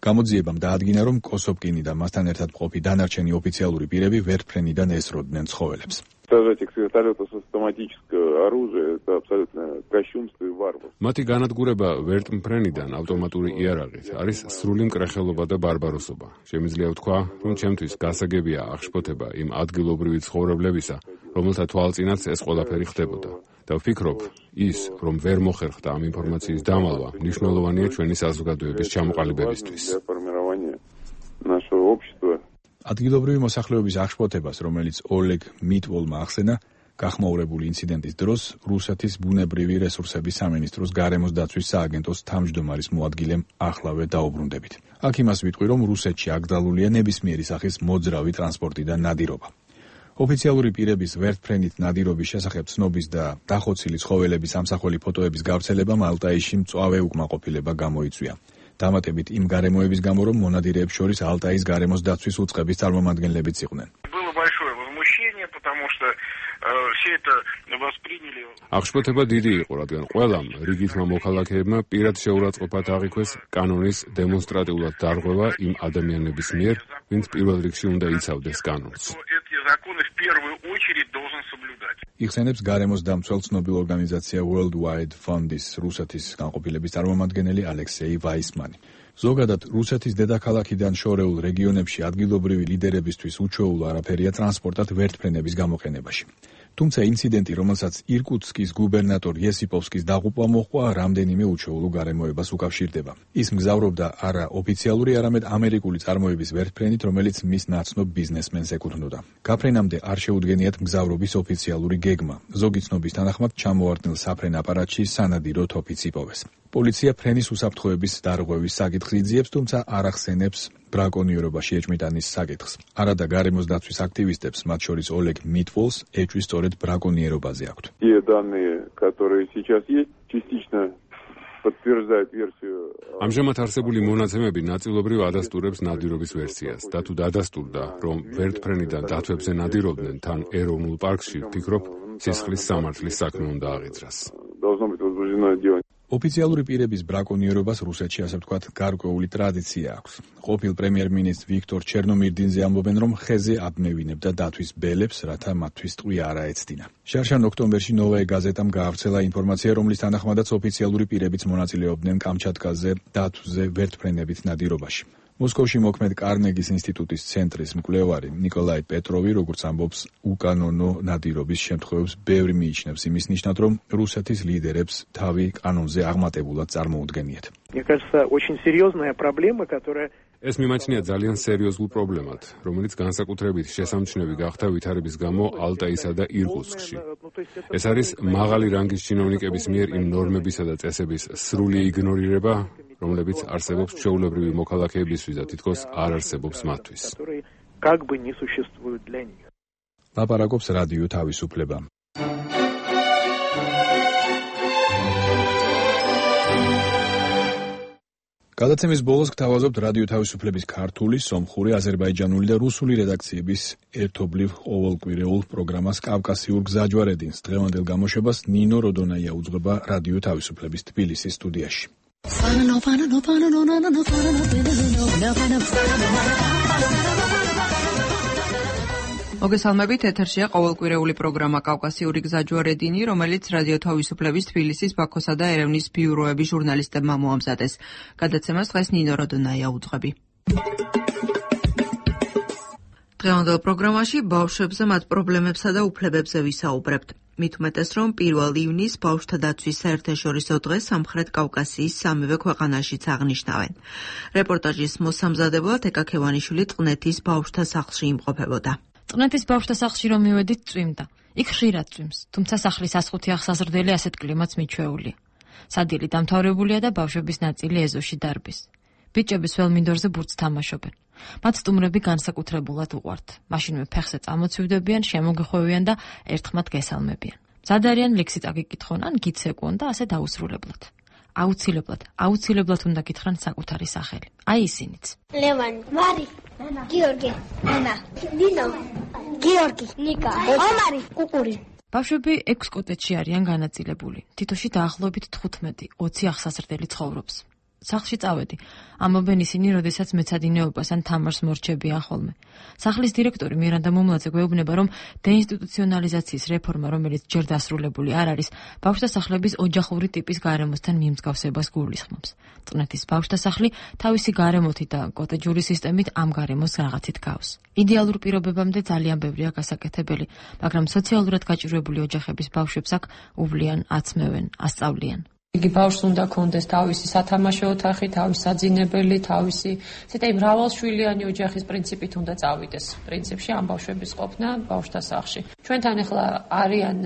გამოძიებამ დაადგინა, რომ კოსობკინი და მასთან ერთად მყოფი დანარჩენი ოფიციალური პირები ვერტფრენიდან ესროდნენ ცხოველებს. მათი განადგურება ვერტფრენიდან ავტომატური იარაღით არის სრული მკრეხელობა და ბარბაროსობა. შემიძლია ვთქვა, რომ ჩემთვის გასაგებია აღშფოთება იმ ადგილობრივი ცხოვრებლებისა, რომელთა თვალწინაც ეს ყველაფერი ხდებოდა. და ვფიქრობ, ის, რომ ვერ მოხერხდა ამ ინფორმაციის დამალვა, მნიშვნელოვანია ჩვენი საზოგადოების ჩამოყალიბებისთვის. ადგილობრივი მოსახლეობის აღშფოთებას, რომელიც ოლეგ მიტვოლმა ახსენა, გახმაურებული ინციდენტის დროს რუსეთის ბუნებრივი რესურსების სამინისტროს გარემოს დაცვის სააგენტოს თავმჯდომარის მოადგილემ ახლავე დაუბრუნდებით. აქ იმას ვიტყვი, რომ რუსეთში აკრძალულია ნებისმიერი სახის მოძრავი ტრანსპორტი და ნადირობა. ოფიციალური პირების ვერტფრენით ნადირობის შესახებ ცნობის და დახოცილი ცხოველების ამსახველი ფოტოების გავრცელებამ ალტაიში მწვავე უკმაყოფილება გამოიწვია. დამატებით იმ გარემოების გამო, რომ მონადირეებს შორის ალტაის გარემოს დაცვის უწყების წარმომადგენლებიც იყვნენ. აღშფოთება დიდი იყო, რადგან ყველამ რიგითმა მოქალაქეებმა პირად შეურაცხყოფათ აღიქვეს კანონის დემონსტრატიულად დარღვევა იმ ადამიანების მიერ, ვინც პირველ რიგში უნდა იცავდეს კანონს. იხსენებს გარემოს დამცველ ცნობილ ორგანიზაცია World Wide Fund-ის რუსეთის განყოფილების წარმომადგენელი ალექსეი ვაისმანი. ზოგადად, რუსეთის დედაქალაქიდან შორეულ რეგიონებში ადგილობრივი ლიდერებისთვის უჩვეულო არაფერია ტრანსპორტად ვერტფრენების გამოყენებაში. თუმცა ინციდენტი, რომელსაც ირკუტსკის გუბერნატორ იესიპოვსკის დაღუპვა მოჰყვა, რამდენიმე უჩვეულო გარემოებას უკავშირდება. ის მგზავრობდა არა ოფიციალური, არამედ ამერიკული წარმოების ვერტფრენით, რომელიც მის ნაცნობ ბიზნესმენს ეკუთვნოდა. გაფრენამდე არ შეუდგენიათ მგზავრობის ოფიციალური გეგმა. ზოგი ცნობის თანახმად ჩამოვარდნილ საფრენ აპარატში სანადირო თოფიც იპოვეს. პოლიცია ფრენის უსაფრთხოების დარღვევის საკითხს იძიებს, თუმცა არ ახსენებს ბრაკონიერობაში ეჭვმიტანის საკითხს. არადა გარემოს დაცვის აქტივისტებს, მათ შორის ოლეგ მიტვოლს, ეჭვი სწორედ ბრაკონიერობაზე აქვთ. ამჟამად არსებული მონაცემები ნაწილობრივ ადასტურებს ნადირობის ვერსიას და თუ დადასტურდა, რომ ვერტფრენიდან დათვებზე ნადირობდნენ თან ეროვნულ პარკში, ვფიქრობ, სისხლის სამართლის საქმე უნდა აღიძრას. ოფიციალური პირების ბრაკონიერობას რუსეთში, ასე ვთქვათ, გარკვეული ტრადიცია აქვს. ყოფილ პრემიერ-მინისტრ ვიქტორ ჩერნომირდინზე ამბობენ, რომ ხეზე აბმევინებდა დათვის ბელებს, რათა მათთვის ტყვია არ აეცდინა. შარშან ოქტომბერში ნოვაე გაზეტამ გაავრცელა ინფორმაცია, რომლის თანახმადაც ოფიციალური პირებიც მონაწილეობდნენ კამჩატკაზე დათვზე ვერტმფრენებით ნადირობაში. მოსკოვში მოქმედ კარნეგის ინსტიტუტის ცენტრის მკვლევარი ნიკოლაი პეტროვი, როგორც ამბობს, უკანონო ნადირობის შემთხვევებს ბევრი მიიჩნევს იმის ნიშნად, რომ რუსეთის ლიდერებს თავი კანონზე აღმატებულად წარმოუდგენიათ. ეს მიმაჩნია ძალიან სერიოზულ პრობლემად, რომელიც განსაკუთრებით შესამჩნევი გახდა ვითარების გამო ალტაისა და ირკუტსკში. ეს არის მაღალი რანგის ჩინოვნიკების მიერ იმ ნორმებისა და წესების სრული იგნორირება, რომლებიც არსებობს ჩვეულებრივი მოქალაქეებისთვის და თითქოს არ არსებობს მათთვის. ლაპარაკობს რადიო თავისუფლება. გადაცემის ბოლოს გთავაზობთ რადიო თავისუფლების ქართული, სომხური, აზერბაიჯანული და რუსული რედაქციების ერთობლივ ყოველკვირეულ პროგრამას კავკასიურ გზაჯვარედინს. დღევანდელ გამოშვებას ნინო როდონაია უძღვება რადიო თავისუფლების თბილისის სტუდიაში. მოგესალმებით, ეთერშია ყოველკვირეული პროგრამა კავკასიური გზაჯვარედინი, რომელიც რადიო თავისუფლების თბილისის, ბაქოსა და ერევნის ბიუროების ჟურნალისტებმა მოამზადეს. გადაცემას დღეს ნინო როდონაია უძღვები. დღევანდელ პროგრამაში ბავშვებზე, მათ პრობლემებსა და უფლებებზე ვისაუბრებთ. მით უმეტეს, რომ 1 ივნისს ბავშვთა დაცვის საერთაშორისო დღეს სამხრეთ კავკასიის სამივე ქვეყანაშიც აღნიშნავენ. რეპორტაჟის მოსამზადებლად ეკა ქევანიშვილი წყნეთის ბავშვთა სახლში იმყოფებოდა. წყნეთის ბავშვთა სახლში რომ მივედით, წვიმდა. იქ ხშირად წვიმს, თუმცა სახლის 105 აღსაზრდელი ასეთ კლიმატს მიჩვეულია. სადილი დამთავრებულია და ბავშვების ნაწილი ეზოში დარბის. ბიჭების ველმინდორზე ბურთს თამაშობენ. მათ სტუმრები განსაკუთრებულად უყვართ. მაშინვე ფეხზე წამოცივდებიან, შემოგეხვევიან და ერთხმად გესალმებიან. მზად არიან ლექსით აგიკითხონ ან გიცეკონ და ასე დაუსრულებლად. აუცილებლად უნდა გითხრან საკუთარი სახელი. აი ისინიც. ლევანი, მარი, გიორგი, ანა, ნინო, გიორგი, ნიკა, ომარი, კუკური. ბავშვები 6 კოტეჯში არიან განაწილებული. თითოში დაახლოებით 15-20 აღსაზრდელი ცხოვრობს. სახლში წავედი. ამბობენ ისინი, როდესაც მეცადინეობას ან თამარს მორჩებიან ხოლმე. სახლის დირექტორი მირანდა მომლაძე გვეუბნება, რომ დეინსტიტუციონალიზაციის რეფორმა, რომელიც ჯერ დასრულებული არ არის, ბავშვთა სახლების ოჯახური ტიპის გარემოსთან მიმსგავსებას გულისხმობს. წყნეთის ბავშვთა სახლი თავისი გარემოთი და კოტეჯური სისტემით ამ გარემოს რაღაცით გავს. იდეალურ პირობებამდე ძალიან ბევრია გასაკეთებელი, მაგრამ სოციალურად გაჭირვებული ოჯახების ბავშვებს აქ უვლიან, აცმევენ, ასწავლიან. იგი ბავშვს უნდა კონდეს თავისი სათამაშო ოთახი, თავისი საძინებელი, თავისი ცოტა მრავალშვილიანი ოჯახის პრინციპით უნდა წავიდეს. პრინციპში ამ ბავშვების ყოფნა ბავშვთა სახლში. ჩვენთან ახლა არიან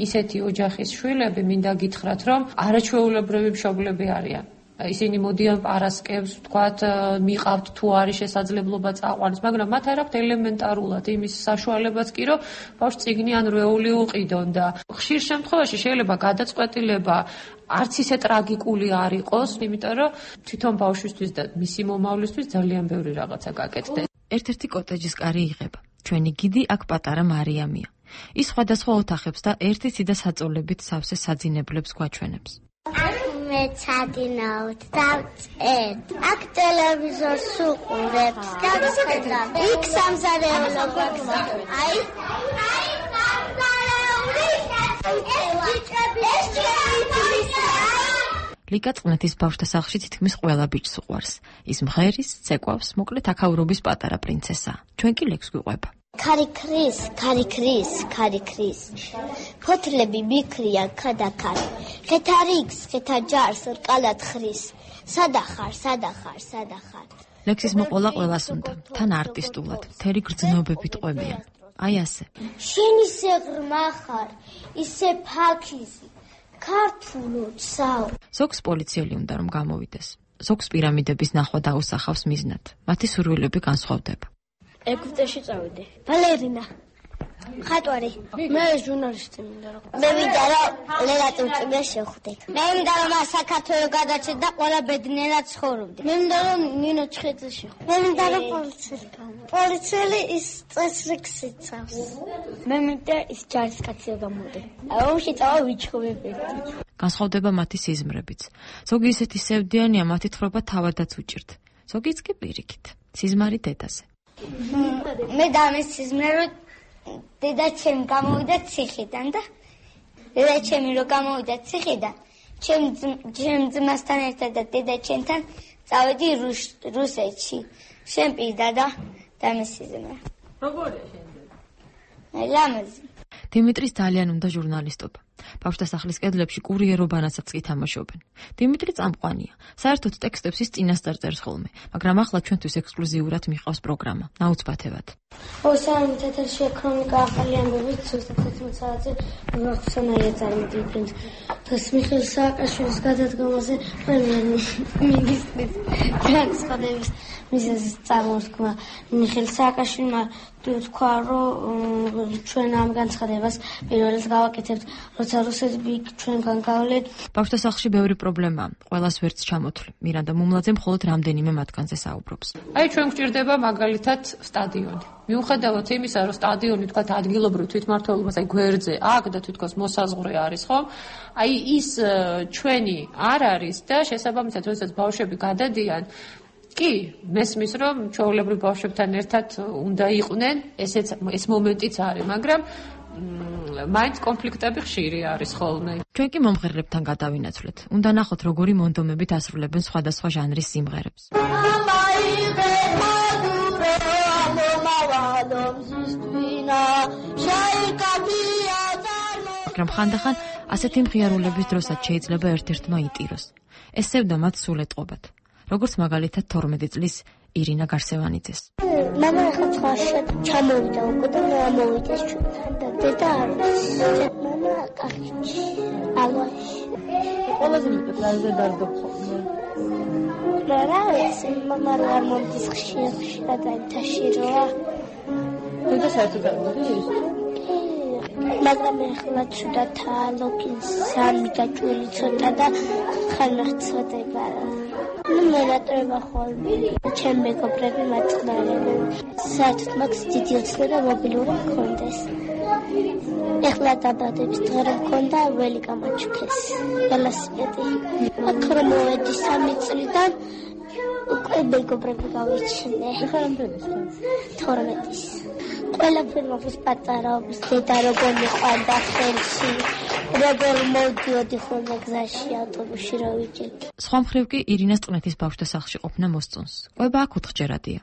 ისეთი ოჯახის შვილები, მინდა გითხრათ, რომ არაჩვეულებრივი მშობლები არიან. ისინი მოდიან პარასკევს, ვთქვათ, მიყავთ თუ არის შესაძლებლობა წაყვანის, მაგრამ მათ არ აქვთ ელემენტარულად იმის საშუალებაც კი, რომ ბავშვს წიგნი ან რეული უყიდონ და ხშირ შემთხვევაში შეიძლება გადაწყვეტილება არც ისე ტრაგიკული არ იყოს, იმიტომ რომ თვითონ ბავშვისთვის და მისი მომავლისთვის ძალიან ბევრი რაღაცა გაკეთდეს. ერთ-ერთი კოტეჯის კარი იღება. ჩვენი გიდი აქ პატარა მარიამია. ის სხვადასხვა ოთახებს და ერთი ციდა საწოლებით სავსე საძინებლებს გვაჩვენებს. მეცადინაოთ და ვწერთ. აქ ტელევიზორს უყურებთ და ვხედავ. იქ სამზარეულო გვაქვს. აი ლიკა წყნეთის ბავშვთა სახლში თითქმის ყველა ბიჭს უყვარს. ის მღერის, ცეკვავს, მოკლედ აქაურობის პატარა პრინცესაა. ჩვენ კი ლექს გვიყვება. ქარი-ქრის. ფოთლები მიქრიან ქადაქარ. ხეთა რიგს, ხეთა ჯარს რკალად ხრის. სადახარ. ლექსის მოყოლა ყველას უნდა, თან არტისტულად, მთელი გრძნობებით ყვებიან. აი ასე. შენ ისე ღრმა ხარ, ისე ფაქიზი. ქართულოდ საო. ზოგს პოლიციელი უნდა რომ გამოვიდეს. ზოგს პირამიდების ნახვა დაუსახავს მიზნად. მათი სურვილები განსხვავდება. ეგვიპტეში წავიდე. ბალერინა. ხატვარი. მე ჟურნალისტი მინდა რომ. მე მინდა რომ ლელატი მწვერს შევხვდეთ. მე მინდა რომ საქართველოს გადაჭერ და ყველა ბედნიერად ცხოვრობდე. მე მინდა რომ ნინო ჩხეძე შევხვდე. მე მინდა რომ პოლიციელი ის წესრიგს იცავს. მე მინდა ის ჯარისკაცი გამოდე. ომში წავა ვიჩხუბებდი. განსხვავდება მათი სიზმრებიც. ზოგი ისეთი სევდიანია, მათი თხრობა თავადაც უჭირთ. ზოგიც კი პირიქით, სიზმარი დედაზე. მე დამის სიზმრე რომ დედა ჩემი გამოვიდა ციხიდან და დედა ჩემი რომ გამოვიდა ციხიდან, ჩემ ძმასთან ერთად და დედა ჩემთან წავედი რუსეთში. შენ პირდა და დამის სიზმრე. როგორია შენ დედა? ლამაზი. დიმიტრის ძალიან უნდა ჟურნალისტობა. ბავშვთა სახლის კედლებში კურიერობანაცაც კი თამაშობენ. დიმიტრი წამყვანია. საერთოდ ტექსტებს ის წინასწარ წერს ხოლმე, მაგრამ ახლა ჩვენთვის ექსკლუზიურად მიყავს პროგრამა. ნაუცბათებად. სამ თეთრში ქრონიკა ახალი ამბებით ზუსტად 11 საათზე ვახსენაია წარმოდგენით. თოს მიხეილ სააკაშვილის გადადგომაზე პრემიერ-მინისტრის განცხადების მიზეზის წარმოთქმა მიხეილ სააკაშვილმა თქვა, რომ ჩვენ ამ განცხადებას პირველად გავაკეთებთ, როცა რუსები ჩვენგან გავლეთ. ბავშვთა სახლში ბევრი პრობლემაა, ყველას ვერც ჩამოთვლი. მირანდა მუმლაძე მხოლოდ რამდენიმე მათგანზე საუბრობს. აი ჩვენ გვჭირდება მაგალითად სტადიონი. მიუხედავად იმისა, რომ სტადიონი თქვა ადგილობრივ თვითმმართველობას, აი გვერდზე აქ და თვითონ მოსაზღვრე არის, ხო? აი ის ჩვენი არ არის და შესაბამისად, როდესაც ბავშვები გადადიან, კი, მესმის რომ ჩვეულებრივ ბავშვებთან ერთად უნდა იყვნენ, ეს მომენტიც არის, მაგრამ მაინც კონფლიქტები ხშირი არის ხოლმე. ჩვენ კი მომღერლებთან გადავინაცვლეთ. უნდა ნახოთ, როგორი მონდომებით ასრულებენ სხვადასხვა ჟანრის სიმღერებს. მაგრამ ხანდახან ასეთი მხიარულების დროსაც შეიძლება ერთ-ერთმა იტიროს. ეს სევდა მათ სულ ეტყობათ. როგორც მაგალითად 12 წლის ირინა გარსევანიძეს. მამა ახლა ცხვარში ჩამოვიდა უკვე და მოვიდეს ჩვენთან და დედა არის. მამა კახეთში, ალვაში. ყველაზე მეტად ლაზე დარდობ ხოლმე. რა ეს მამა არ მომდის ხშირად აიტაში რა. დედა საერთოდ არ მოდის? მაგრამ ახლა ცუდად ლოგინს სამი გაჭვილი ცოტა და ხალხსოდება. მე რატოება ხოლმე ჩემ მეგობრები მაწყნარებენ. საერთოდ მაქვს დიდი ოცნება და მობილური მქონდეს. ეხლა დაბადების დღე მქონდა ველი გამაჩუქეს. ველოსიპედი. აქ რომ მოვედი 3 წლიდან უკვე მეგობრები გავიჩინე. ეხლა რამდენი ხარ? 12-ის. ყველაფერი მოხდეს პატარაობის დედა როგორ მიყვანდა ხელში. როგორ მოდიოდი ხოლმე გზაში ავტობუსში რა ვიჭერდი. სხვა მხრივ კი ირინას წნეთის ბავშვთა სახლში ყოფნა მოსწონს. ყვება აქ უთხჯერადია.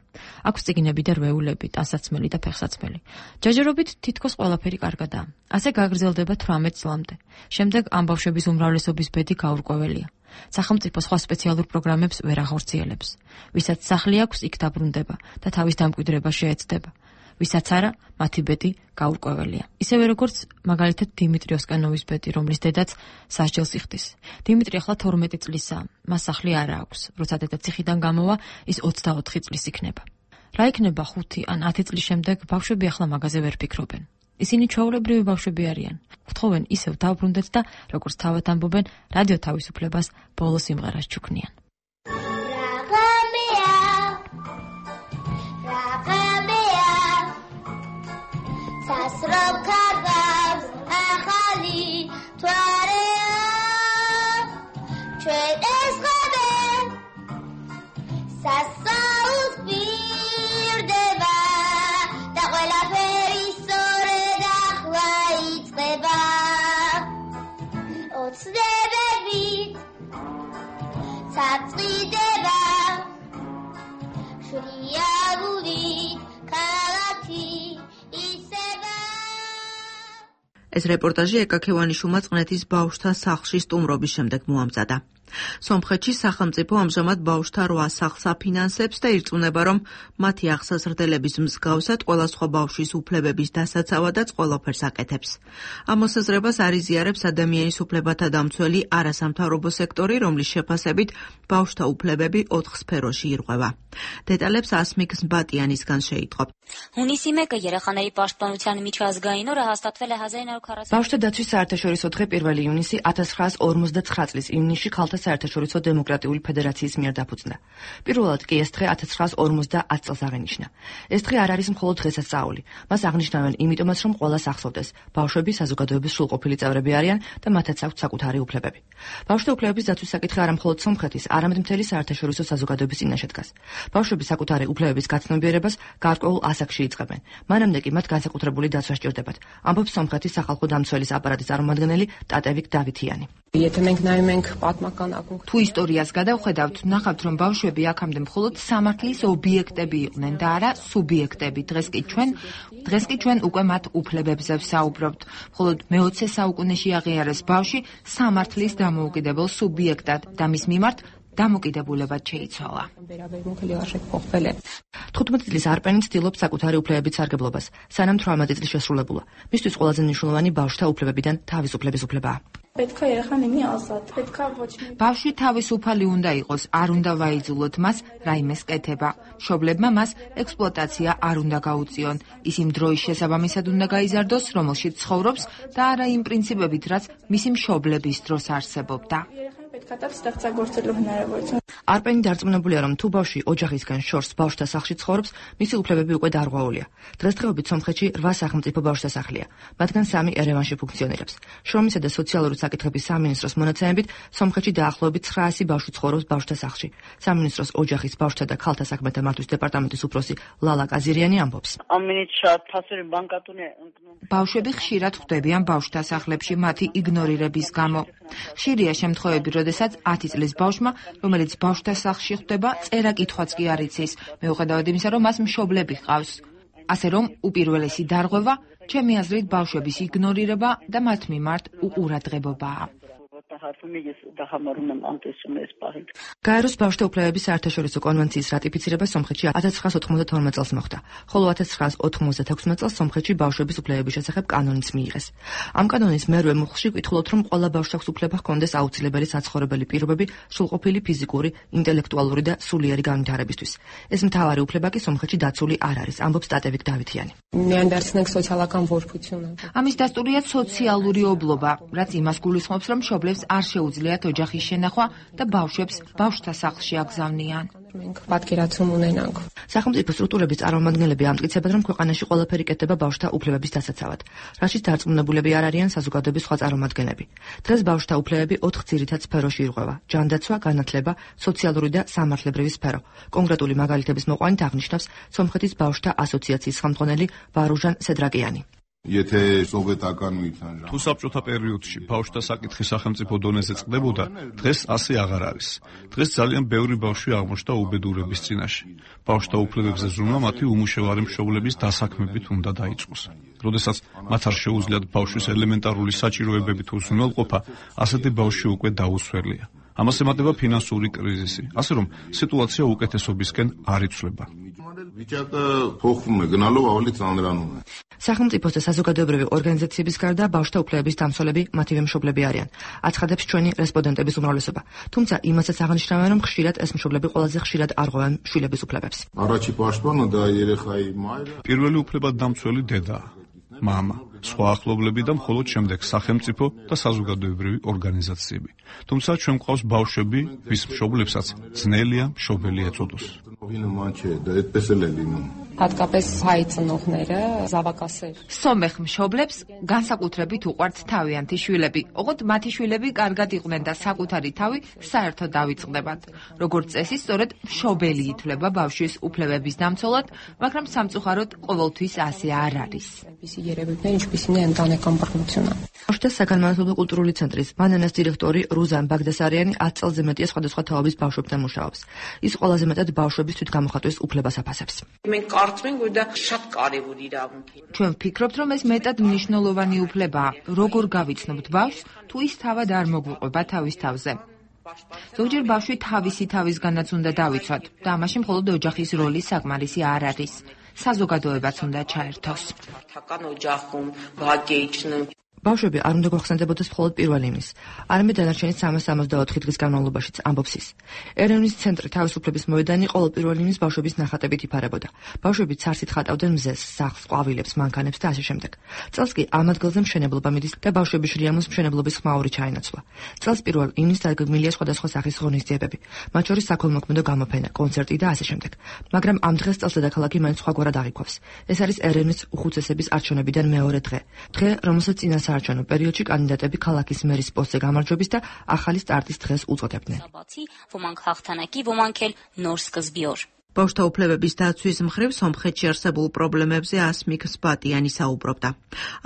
აქვს წიგნები და რვეულები, ტანსაცმელი და ფეხსაცმელი. ჯაჯერობით თითქოს ყველაფერი კარგადაა. ასე გაგრძელდება 18 წლამდე. შემდეგ ამ ბავშვების უმრავლესობის ბედი გაურკვეველია. სახელმწიფო სხვა სპეციალურ პროგრამებს ვერ ახორციელებს. ვისაც სახლი აქვს, იქ დაბრუნდება და თავის დამკვიდრება შეეცდება. ვისაც არა, მათი ბედი გაურკვეველია. ისევე როგორც მაგალითად დიმიტრი ოსკანოვის ბედი, რომლის დედაც სასჯელს იხდის. დიმიტრი ახლა 12 წლისაა, მას სახლი არა აქვს. როცა დედა ციხიდან გამოვა, ის 24 წლის იქნება. რა იქნება 5 ან 10 წლის შემდეგ, ბავშვები ახლა მაგაზე ვერ ფიქრობენ. ისინი ჩვეულებრივი ბავშვები არიან. გთხოვენ ისევ დავბრუნდეთ და როგორც თავად ამბობენ, რადიო თავისუფლებას ბოლო სიმღერას ჩუქნიან. Sasrob kardavs akhali twarea chuen esqabe sasaut birdeba da qvelaferi sore dakhla itzqeba otsdebebit satsqideba shriaguli kalati ეს რეპორტაჟი ეკაქევანიშვილმა წნეთის ბავშვთა სახლში სტუმრობის შემდეგ მოამზადა. სომხეთში სახელმწიფო ამჟამად ბავშვთა 8 სახლს აფინანსებს და ირწმუნება, რომ მათი აღსაზრდელების მსგავსად ყველა სხვა ბავშვის უფლებების დასაცავადაც ყველაფერს აკეთებს. ამ მოსაზრებას არიზიარებს ადამიანის უფლებათა დამცველი არასამთავრობო სექტორი, რომლის შეფასებით ბავშვთა უფლებები 4 სფეროში ირღვევა. დეტალებს ასმիկ ზბატიანისგან შეიტყობ. ბავშვთა დაცვის საერთაშორისო დღე 1 ივნისი 1959 წლის ივნისში ქალთა დღე საერთაშორისო დემოკრატიული ფედერაციის მიერ დაფუძნდა. პირველად კი ეს დღე 1950 წელს აღინიშნა. ეს დღე არ არის მხოლოდ დღესასწაული. მას აღნიშნავენ იმიტომაც, რომ ყველას ახსოვდეს. ბავშვები საზოგადოების სრულყოფილი წევრები არიან და მათაც აქვთ საკუთარი უფლებები. ბავშვთა უფლებების დაცვის საკითხი არა მხოლოდ სომხეთის, არამედ მთელი საერთაშორისო საზოგადოების წინაშე დგას. ბავშვები საკუთარი უფლებების გაცნობიერებას გარკვეულ ასაკში იწყებენ. მანამდე კი მათ განსაკუთრებული დაცვა სჭირდებათ. ამბობს სომხეთის სახალხო დამცველის აპარატის წარმომადგენელი ტატევიკ დავითიანი. თუ ისტორიას გადავხედავთ, ნახავთ, რომ ბავშვები აქამდე მხოლოდ სამართლის ობიექტები იყვნენ და არა სუბიექტები. დღეს კი ჩვენ უკვე მათ უფლებებზე ვსაუბრობთ. მხოლოდ მე-20 საუკუნეში აღიარეს ბავშვი სამართლის დამოუკიდებელ სუბიექტად და მის მიმართ დამოკიდებულებად შეიცვალა. 15 წლის არპენი ცდილობს საკუთარი უფლებების სარგებლობას, სანამ 18 წლის შესრულებულა. მისთვის ყველაზე მნიშვნელოვანი ბავშვთა უფლებებიდან თავისუფლების უფლებაა. ბავშვი თავისუფალი უნდა იყოს, არ უნდა ვაიძულოთ მას რაიმეს კეთება. მშობლებმა მას ექსპლუატაცია არ უნდა გაუწიონ. ის იმ დროის შესაბამისად უნდა გაიზარდოს, რომელშიც ცხოვრობს და არა იმ პრინციპებით, რაც მისი მშობლების დროს არსებობდა. არპენი დარწმუნებულია, რომ თუ ბავშვი ოჯახისგან შორს ბავშვთა სახლში ცხოვრობს, მისი უფლებები უკვე დარღვეულია. დღესდღეობით სომხეთში 8 სახელმწიფო ბავშვთა სახლია, მათგან 3 ერევანში ფუნქციონირებს. შრომისა და სოციალური საკითხების სამინისტროს მონაცემებით, სომხეთში დაახლოებით 900 ბავშვი ცხოვრობს ბავშვთა სახლში. სამინისტროს ოჯახის, ბავშვთა და ქალთა საქმეთა მართვის დეპარტამენტის უფროსი ლალა კაზირიანი ამბობს. ბავშვები ხშირად ხვდებიან ბავშვთა სახლებში მათი იგნორირების გამო. ხშირია შემთხვევები, როდესაც 10 წლის ბავშვმა, რომელიც ბავშვთა სახლში ხვდება, წერა-კითხვაც კი არ იცის, მიუხედავად იმისა, რომ მას მშობლები ჰყავს. ასე რომ, უპირველესი დარღვევა, ჩემი აზრით, ბავშვების იგნორირება და მათ მიმართ უყურადღებობაა. გაეროს ბავშვთა უფლებების საერთაშორისო კონვენციის რატიფიცირება სომხეთში 1992 წელს მოხდა, ხოლო 1996 წელს სომხეთში ბავშვების უფლებების შესახებ კანონიც მიიღეს. ამ კანონის მერვე მუხლში ვკითხულობთ, რომ ყველა ბავშვს აქვს უფლება ჰქონდეს აუცილებელი საცხოვრებელი პირობები სრულყოფილი ფიზიკური, ინტელექტუალური და სულიერი განვითარებისთვის. ეს მთავარი უფლება კი სომხეთში დაცული არ არის, ამბობს ტატევიკ დავითიანი. ამის დასტურია სოციალური ობლობა, რაც იმას გულისხმობს, რომ მშობლებს არ შეუძლიათ ოჯახის შენახვა და ბავშვებს ბავშვთა სახლში აგზავნიან. სახელმწიფო სტრუქტურების წარმომადგენლები ამტკიცებენ, რომ ქვეყანაში ყველაფერი კეთდება ბავშვთა უფლებების დასაცავად, რაშიც დარწმუნებულები არ არიან საზოგადოების სხვა წარმომადგენლები. დღეს ბავშვთა უფლებები 4 ძირითად სფეროში ირღვევა: ჯანდაცვა, განათლება, სოციალური და სამართლებრივი სფერო. კონკრეტული მაგალითების მოყვანით აღნიშნავს სომხეთის ბავშვთა ასოციაციის ხელმძღვანელი ბარუჟან სედრაკიანი. თუ საბჭოთა პერიოდში ბავშვთა საკითხი სახელმწიფო დონეზე წყდებოდა, დღეს ასე აღარ არის. დღეს ძალიან ბევრი ბავშვი აღმოჩნდა უბედურების წინაშე. ბავშვთა უფლებებზე ზრუნვა მათი უმუშევარი მშობლების დასაქმებით უნდა დაიწყოს. როდესაც მათ არ შეუძლიათ ბავშვის ელემენტარული საჭიროებებით უზრუნველყოფა, ასეთი ბავშვი უკვე დაუსვერლია. ამას ემატება ფინანსური კრიზისი, ასე რომ სიტუაცია უკეთესობისკენ არ იცვლება. სახელმწიფოს და საზოგადოებრივი ორგანიზაციების გარდა ბავშვთა უფლებების დამცველები მათივე მშობლები არიან, აცხადებს ჩვენი რესპონდენტების უმრავლესობა. თუმცა იმასაც აღნიშნავენ, რომ ხშირად ეს მშობლები ყველაზე ხშირად არღვევენ შვილების უფლებებს. პირველი უფლება დამცველი დედაა, მამა, სხვა ახლობლები და მხოლოდ შემდეგ სახელმწიფო და საზოგადოებრივი ორგანიზაციები. თუმცა ჩვენ გვყავს ბავშვები, ვის მშობლებსაც ძნელია მშობელი ეწოდოს. სომეხ მშობლებს განსაკუთრებით უყვართ თავიანთი შვილები, ოღონდ მათი შვილები კარგად იყვნენ და საკუთარი თავი საერთოდ დავიწყდებათ. როგორც წესი, სწორედ მშობელი ითვლება ბავშვის უფლებების დამცველად, მაგრამ სამწუხაროდ ყოველთვის ასე არ არის. ბავშვთა საგანმანათლებლო კულტურული ცენტრის ბანანას დირექტორი რუზან ბაგდასარიანი 10 წელზე მეტია სხვადასხვა თაობის ბავშვებთან მუშაობს. ის ყველაზე მეტად ბავშვების თვითგამოხატვის უფლებას აფასებს. ჩვენ ვფიქრობთ, რომ ეს მეტად მნიშვნელოვანი უფლებაა. როგორ გავიცნობთ ბავშვს, თუ ის თავად არ მოგვიყვება თავის თავზე. ზოგჯერ ბავშვი თავისი თავისგანაც უნდა დავიცვათ და ამაში მხოლოდ ოჯახის როლი საკმარისი არ არის. საზოგადოებაც უნდა ჩაერთოს. ბავშვები არ უნდა გვახსენდებოდეს მხოლოდ პირველ ივნის, არამედ დანარჩენი 364 დღის განმავლობაშიც, ამბობს ის. ერევნის ცენტრი თავისუფლების მოედანი ყოველ პირველ ივნის ბავშვების ნახატებით იფარებოდა. ბავშვები ცარცით ხატავდნენ მზეს, სახლს, ყვავილებს, მანქანებს და ასე შემდეგ. წელს კი ამ ადგილზე მშენებლობა მიდის და ბავშვები შრიამოს მშენებლობის ხმაური ჩაინაცვლა. წელს პირველ ივნის დაგეგმილია სხვადასხვა სახის ღონისძიებები, მათ შორის საქველმოქმედო გამოფენა, კონცერტი და ასე შემდეგ. მაგრამ ამ დღეს წელს დედაქალაქი მაინც სხვაგვარად აღიქვავს. ეს არის ერევნის უხუცესების არჩევნებიდან მეორე დღე, რომელსაც წინასაარჩევნო პერიოდში კანდიდატები ქალაქის მერის პოსტზე გამარჯვების და ახალი სტარტის დღეს უწოდებდნენ. ბავშვთა უფლებების დაცვის მხრივ სომხეთში არსებულ პრობლემებზე ასმիկ სპატიანი საუბრობდა.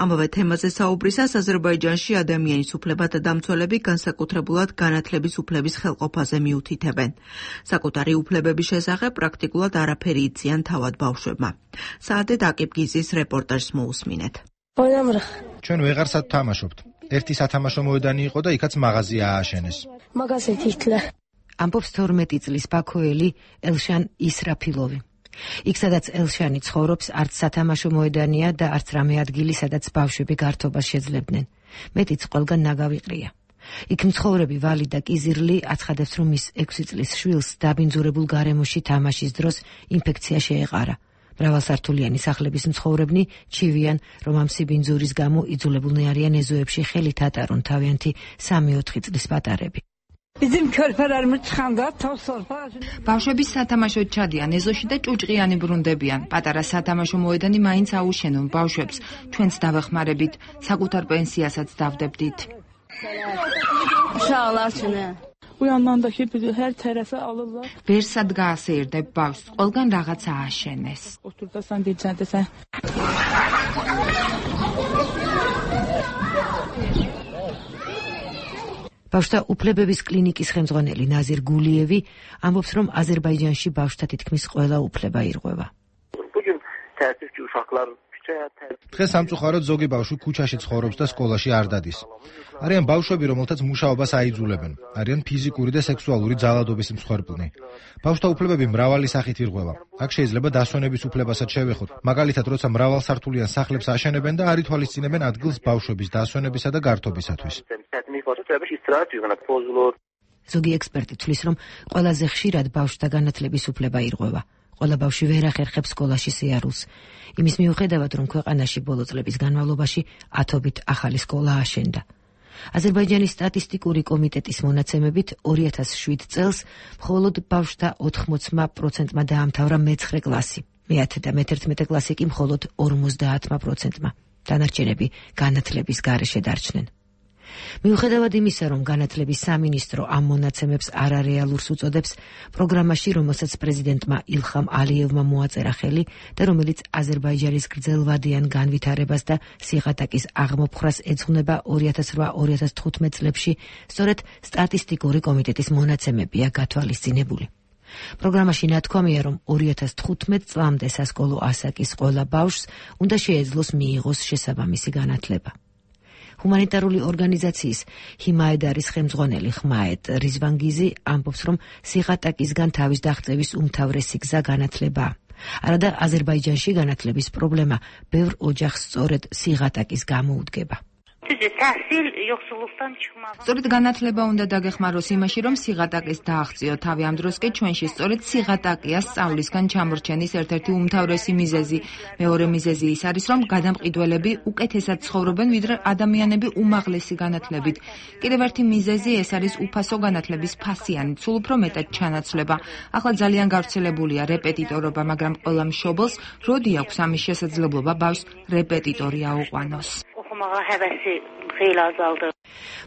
ამავე თემაზე საუბრისას აზერბაიჯანში ადამიანის უფლებათა დამცველები განსაკუთრებულად განათლების უფლების ხელყოფაზე მიუთითებენ. საკუთარი უფლებების შესახებ პრაქტიკულად არაფერი იციან თავად ბავშვებმა. საადე დაკიპგიზის რეპორტაჟს მოусმინეთ. ჩვენ ვეღარსად თამაშობთ. ერთი სათამაშო მოედანი იყო და იქაც მაღაზია ააშენეს. ამბობს 12 წლის ბაქოელი ელშან ისრაფილოვი. იქ სადაც ელშანი ცხოვრობს, არც სათამაშო მოედანია და არც რამე ადგილი, სადაც ბავშვები გართობას შეძლებდნენ. მეტიც ყველგან ნაგავიყრია. იქ მცხოვრები ვალი და კიზირლი აცხადებს, რომ ის 6 წლის შვილს დაბინძურებულ გარემოში თამაშის დროს ინფექცია შეეყარა. მრავალსართულიანი სახლების მცხოვრებნი ჩივიან, რომ ამ სიბინძურის გამო იძულებულნი არიან ეზოებში ხელით ატარონ თავიანთი 3-4 წლის პატარები. ბავშვები სათამაშოდ ჩადიან ეზოში და ჭუჭყიანი ბრუნდებიან. პატარა სათამაშო მოედანი მაინც აუშენონ ბავშვებს. ჩვენც დავეხმარებით, საკუთარ პენსიასაც დავდებდით. ვერსად გაასეირდებ ბავშვს, ყველგან რაღაცა ააშენეს. ბავშვთა უფლებების კლინიკის ხელმძღვანელი ნაზირ გულიევი ამბობს, რომ აზერბაიჯანში ბავშვთა თითქმის ყველა უფლება ირღვევა. დღეს სამწუხაროდ ზოგი ბავშვი ქუჩაში ცხოვრობს და სკოლაში არ დადის. არიან ბავშვები, რომელთაც მუშაობას აიძულებენ. არიან ფიზიკური და სექსუალური ძალადობის მსხვერპლნი. ბავშვთა უფლებები მრავალი სახით ირღვევა. აქ შეიძლება დასვენების უფლებასაც შევეხოთ. მაგალითად, როცა მრავალსართულიან სახლებს აშენებენ და არ ითვალისწინებენ ადგილს ბავშვების დასვენებისა და გართობისათვის. ზოგი ექსპერტი თვლის, რომ ყველაზე ხშირად ბავშვთა განათლების უფლება ირღვევა. ყველა ბავშვი ვერ ახერხებს სკოლაში სიარულს. იმის მიუხედავად, რომ ქვეყანაში ბოლო წლების განმავლობაში ათობით ახალი სკოლა აშენდა. აზერბაიჯანის სტატისტიკური კომიტეტის მონაცემებით 2007 წელს მხოლოდ ბავშვთა 80% დაამთავრა მე-9 კლასი. მე-10 და მე-11 კლასი კი მხოლოდ 50%. დანარჩენები განათლების გარეშე დარჩნენ. მიუხედავად იმისა, რომ განათლების სამინისტრო ამ მონაცემებს არარეალურს უწოდებს, პროგრამაში, რომელსაც პრეზიდენტმა ილხამ ალიევმა მოაწერა ხელი და რომელიც აზერბაიჯანის გრძელვადიან განვითარებას და სიღატაკის აღმოფხრას ეძღვნება 2008-2015 წლებში, სწორედ სტატისტიკური კომიტეტის მონაცემებია გათვალისწინებული. პროგრამაში ნათქვამია, რომ 2015 წლამდე სასკოლო ასაკის ყველა ბავშვს უნდა შეეძლოს მიიღოს შესაბამისი განათლება. ჰუმანიტარული ორგანიზაციის ჰიმაედარის ხელმძღვანელი ხმაედ ризвангიზი ამბობს, რომ სიღატაკისგან თავის დაღწევის უმთავრესი გზა განათლებაა. არადა აზერბაიჯანში განათლების პრობლემა ბევრ ოჯახს სწორედ სიღატაკის გამო უდგება. სწორედ განათლება უნდა დაგეხმაროს იმაში, რომ სიღატაკის დააღწიო თავი. ამ დროს კი ჩვენში სწორედ სიღატაკია სწავლისგან ჩამორჩენის ერთ-ერთი უმთავრესი მიზეზი. მეორე მიზეზი ის არის, რომ გადამყიდველები უკეთესად ცხოვრობენ, ვიდრე ადამიანები უმაღლესი განათლებით. კიდევ ერთი მიზეზი ეს არის უფასო განათლების ფასიანი, სულ უფრო მეტად ჩანაცვლება. ახლა ძალიან გავრცელებულია რეპეტიტორობა, მაგრამ ყველა მშობელს როდი აქვს ამის შესაძლებლობა ბავშვს რეპეტიტორი აუყვანოს.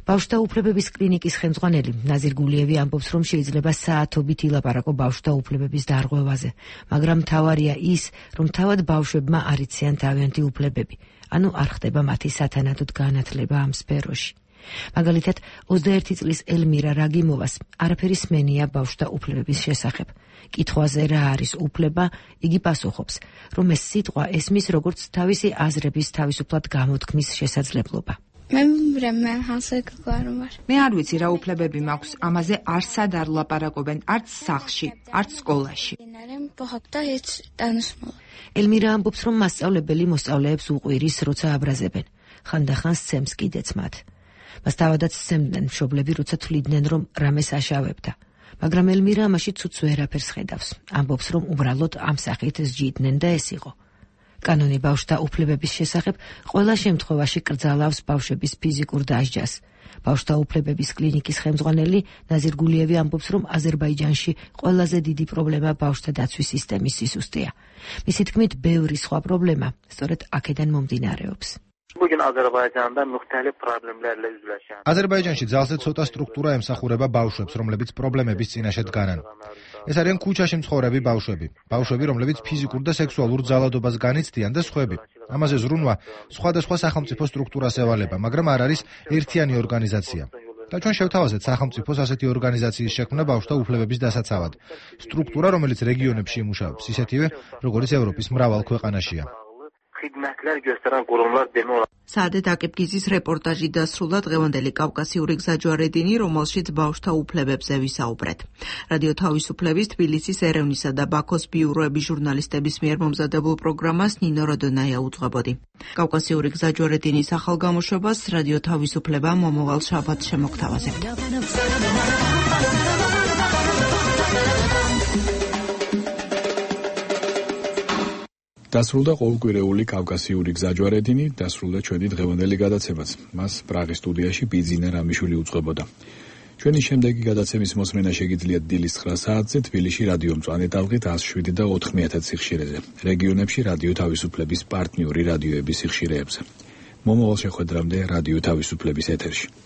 ბავშვთა უფლებების კლინიკის ხელმძღვანელი ნაზირ გულიევი ამბობს, რომ შეიძლება საათობით ილაპარაკო ბავშვთა უფლებების დარღვევაზე, მაგრამ მთავარია ის, რომ თავად ბავშვებმა არ იციან თავიანთი უფლებები, ანუ არ ხდება მათი სათანადოდ განათლება ამ სფეროში. მაგალითად, 21 წლის ელმირა რაგიმოვას არაფერი სმენია ბავშვთა უფლებების შესახებ. კითხვაზე რა არის უფლება, იგი პასუხობს, რომ ეს სიტყვა ესმის როგორც თავისი აზრების თავისუფლად გამოთქმის შესაძლებლობა. მე არ ვიცი რა უფლებები მაქვს, ამაზე არსად არ ლაპარაკობენ, არც სახლში, არც სკოლაში. ელმირა ამბობს, რომ მასწავლებელი მოსწავლეებს უყვირის, როცა აბრაზებენ. ხანდახან სცემს კიდეც მათ. მას თავადაც სცემდნენ მშობლები, როცა თვლიდნენ, რომ რამეს აშავებდა. მაგრამ ელმირა ამაში ცუცუ ვერაფერს ხედავს. ამბობს, რომ უბრალოდ ამ სახით სჯიდნენ და ეს იყო. კანონი ბავშვთა უფლებების შესახებ ყველა შემთხვევაში კრძალავს ბავშვების ფიზიკურ დასჯას. ბავშვთა უფლებების კლინიკის ხელმძღვანელი ნაზირ გულიევი ამბობს, რომ აზერბაიჯანში ყველაზე დიდი პრობლემა ბავშვთა დაცვის სისტემის სისუსტეა. მისი თქმით, ბევრი სხვა პრობლემა სწორედ აქედან მომდინარეობს. აზერბაიჯანში ძალზე ცოტა სტრუქტურა ემსახურება ბავშვებს, რომლებიც პრობლემების წინაშე დგანან. ეს არიან ქუჩაში მცხოვრები ბავშვები, რომლებიც ფიზიკურ და სექსუალურ ძალადობას განიცდიან და სხვები. ამაზე ზრუნვა სხვადასხვა სახელმწიფო სტრუქტურას ევალება, მაგრამ არ არის ერთიანი ორგანიზაცია. და ჩვენ შევთავაზეთ სახელმწიფოს ასეთი ორგანიზაციის შექმნა ბავშვთა უფლებების დასაცავად. სტრუქტურა, რომელიც რეგიონებში იმუშავებს, ისეთივე, როგორც ევროპის მრავალ ქვეყანაშია. საადეთ აკებგიზის რეპორტაჟი დასრულდა დღევანდელი კავკასიური გზაჯვარედინი, რომელშიც ბავშვთა უფლებებზე ვისაუბრეთ. რადიო თავისუფლების თბილისის ერევნისა და ბაქოს ბიუროების ჟურნალისტების მიერ მომზადებულ პროგრამას ნინო როდონაია უძღვებოდი. კავკასიური გზაჯვარედინის ახალ გამოშვებას რადიო თავისუფლება მომავალ შაბათს შემოგთავაზებთ. დასრულდა ყოველკვირეული კავკასიური გზაჯვარედინი, დასრულდა ჩვენი დღევანდელი გადაცემაც. მას პრაღის სტუდიაში ბიძინა რამიშვილი უძღვებოდა. ჩვენი შემდეგი გადაცემის მოსმენა შეგიძლიათ დილის 9 საათზე თბილისში რადიო მწვანე ტალღით 107 და 9000 სიხშირეზე. რეგიონებში რადიო თავისუფლების პარტნიორი რადიოების სიხშირეებზე. მომავალ შეხვედრამდე რადიო თავისუფლების ეთერში.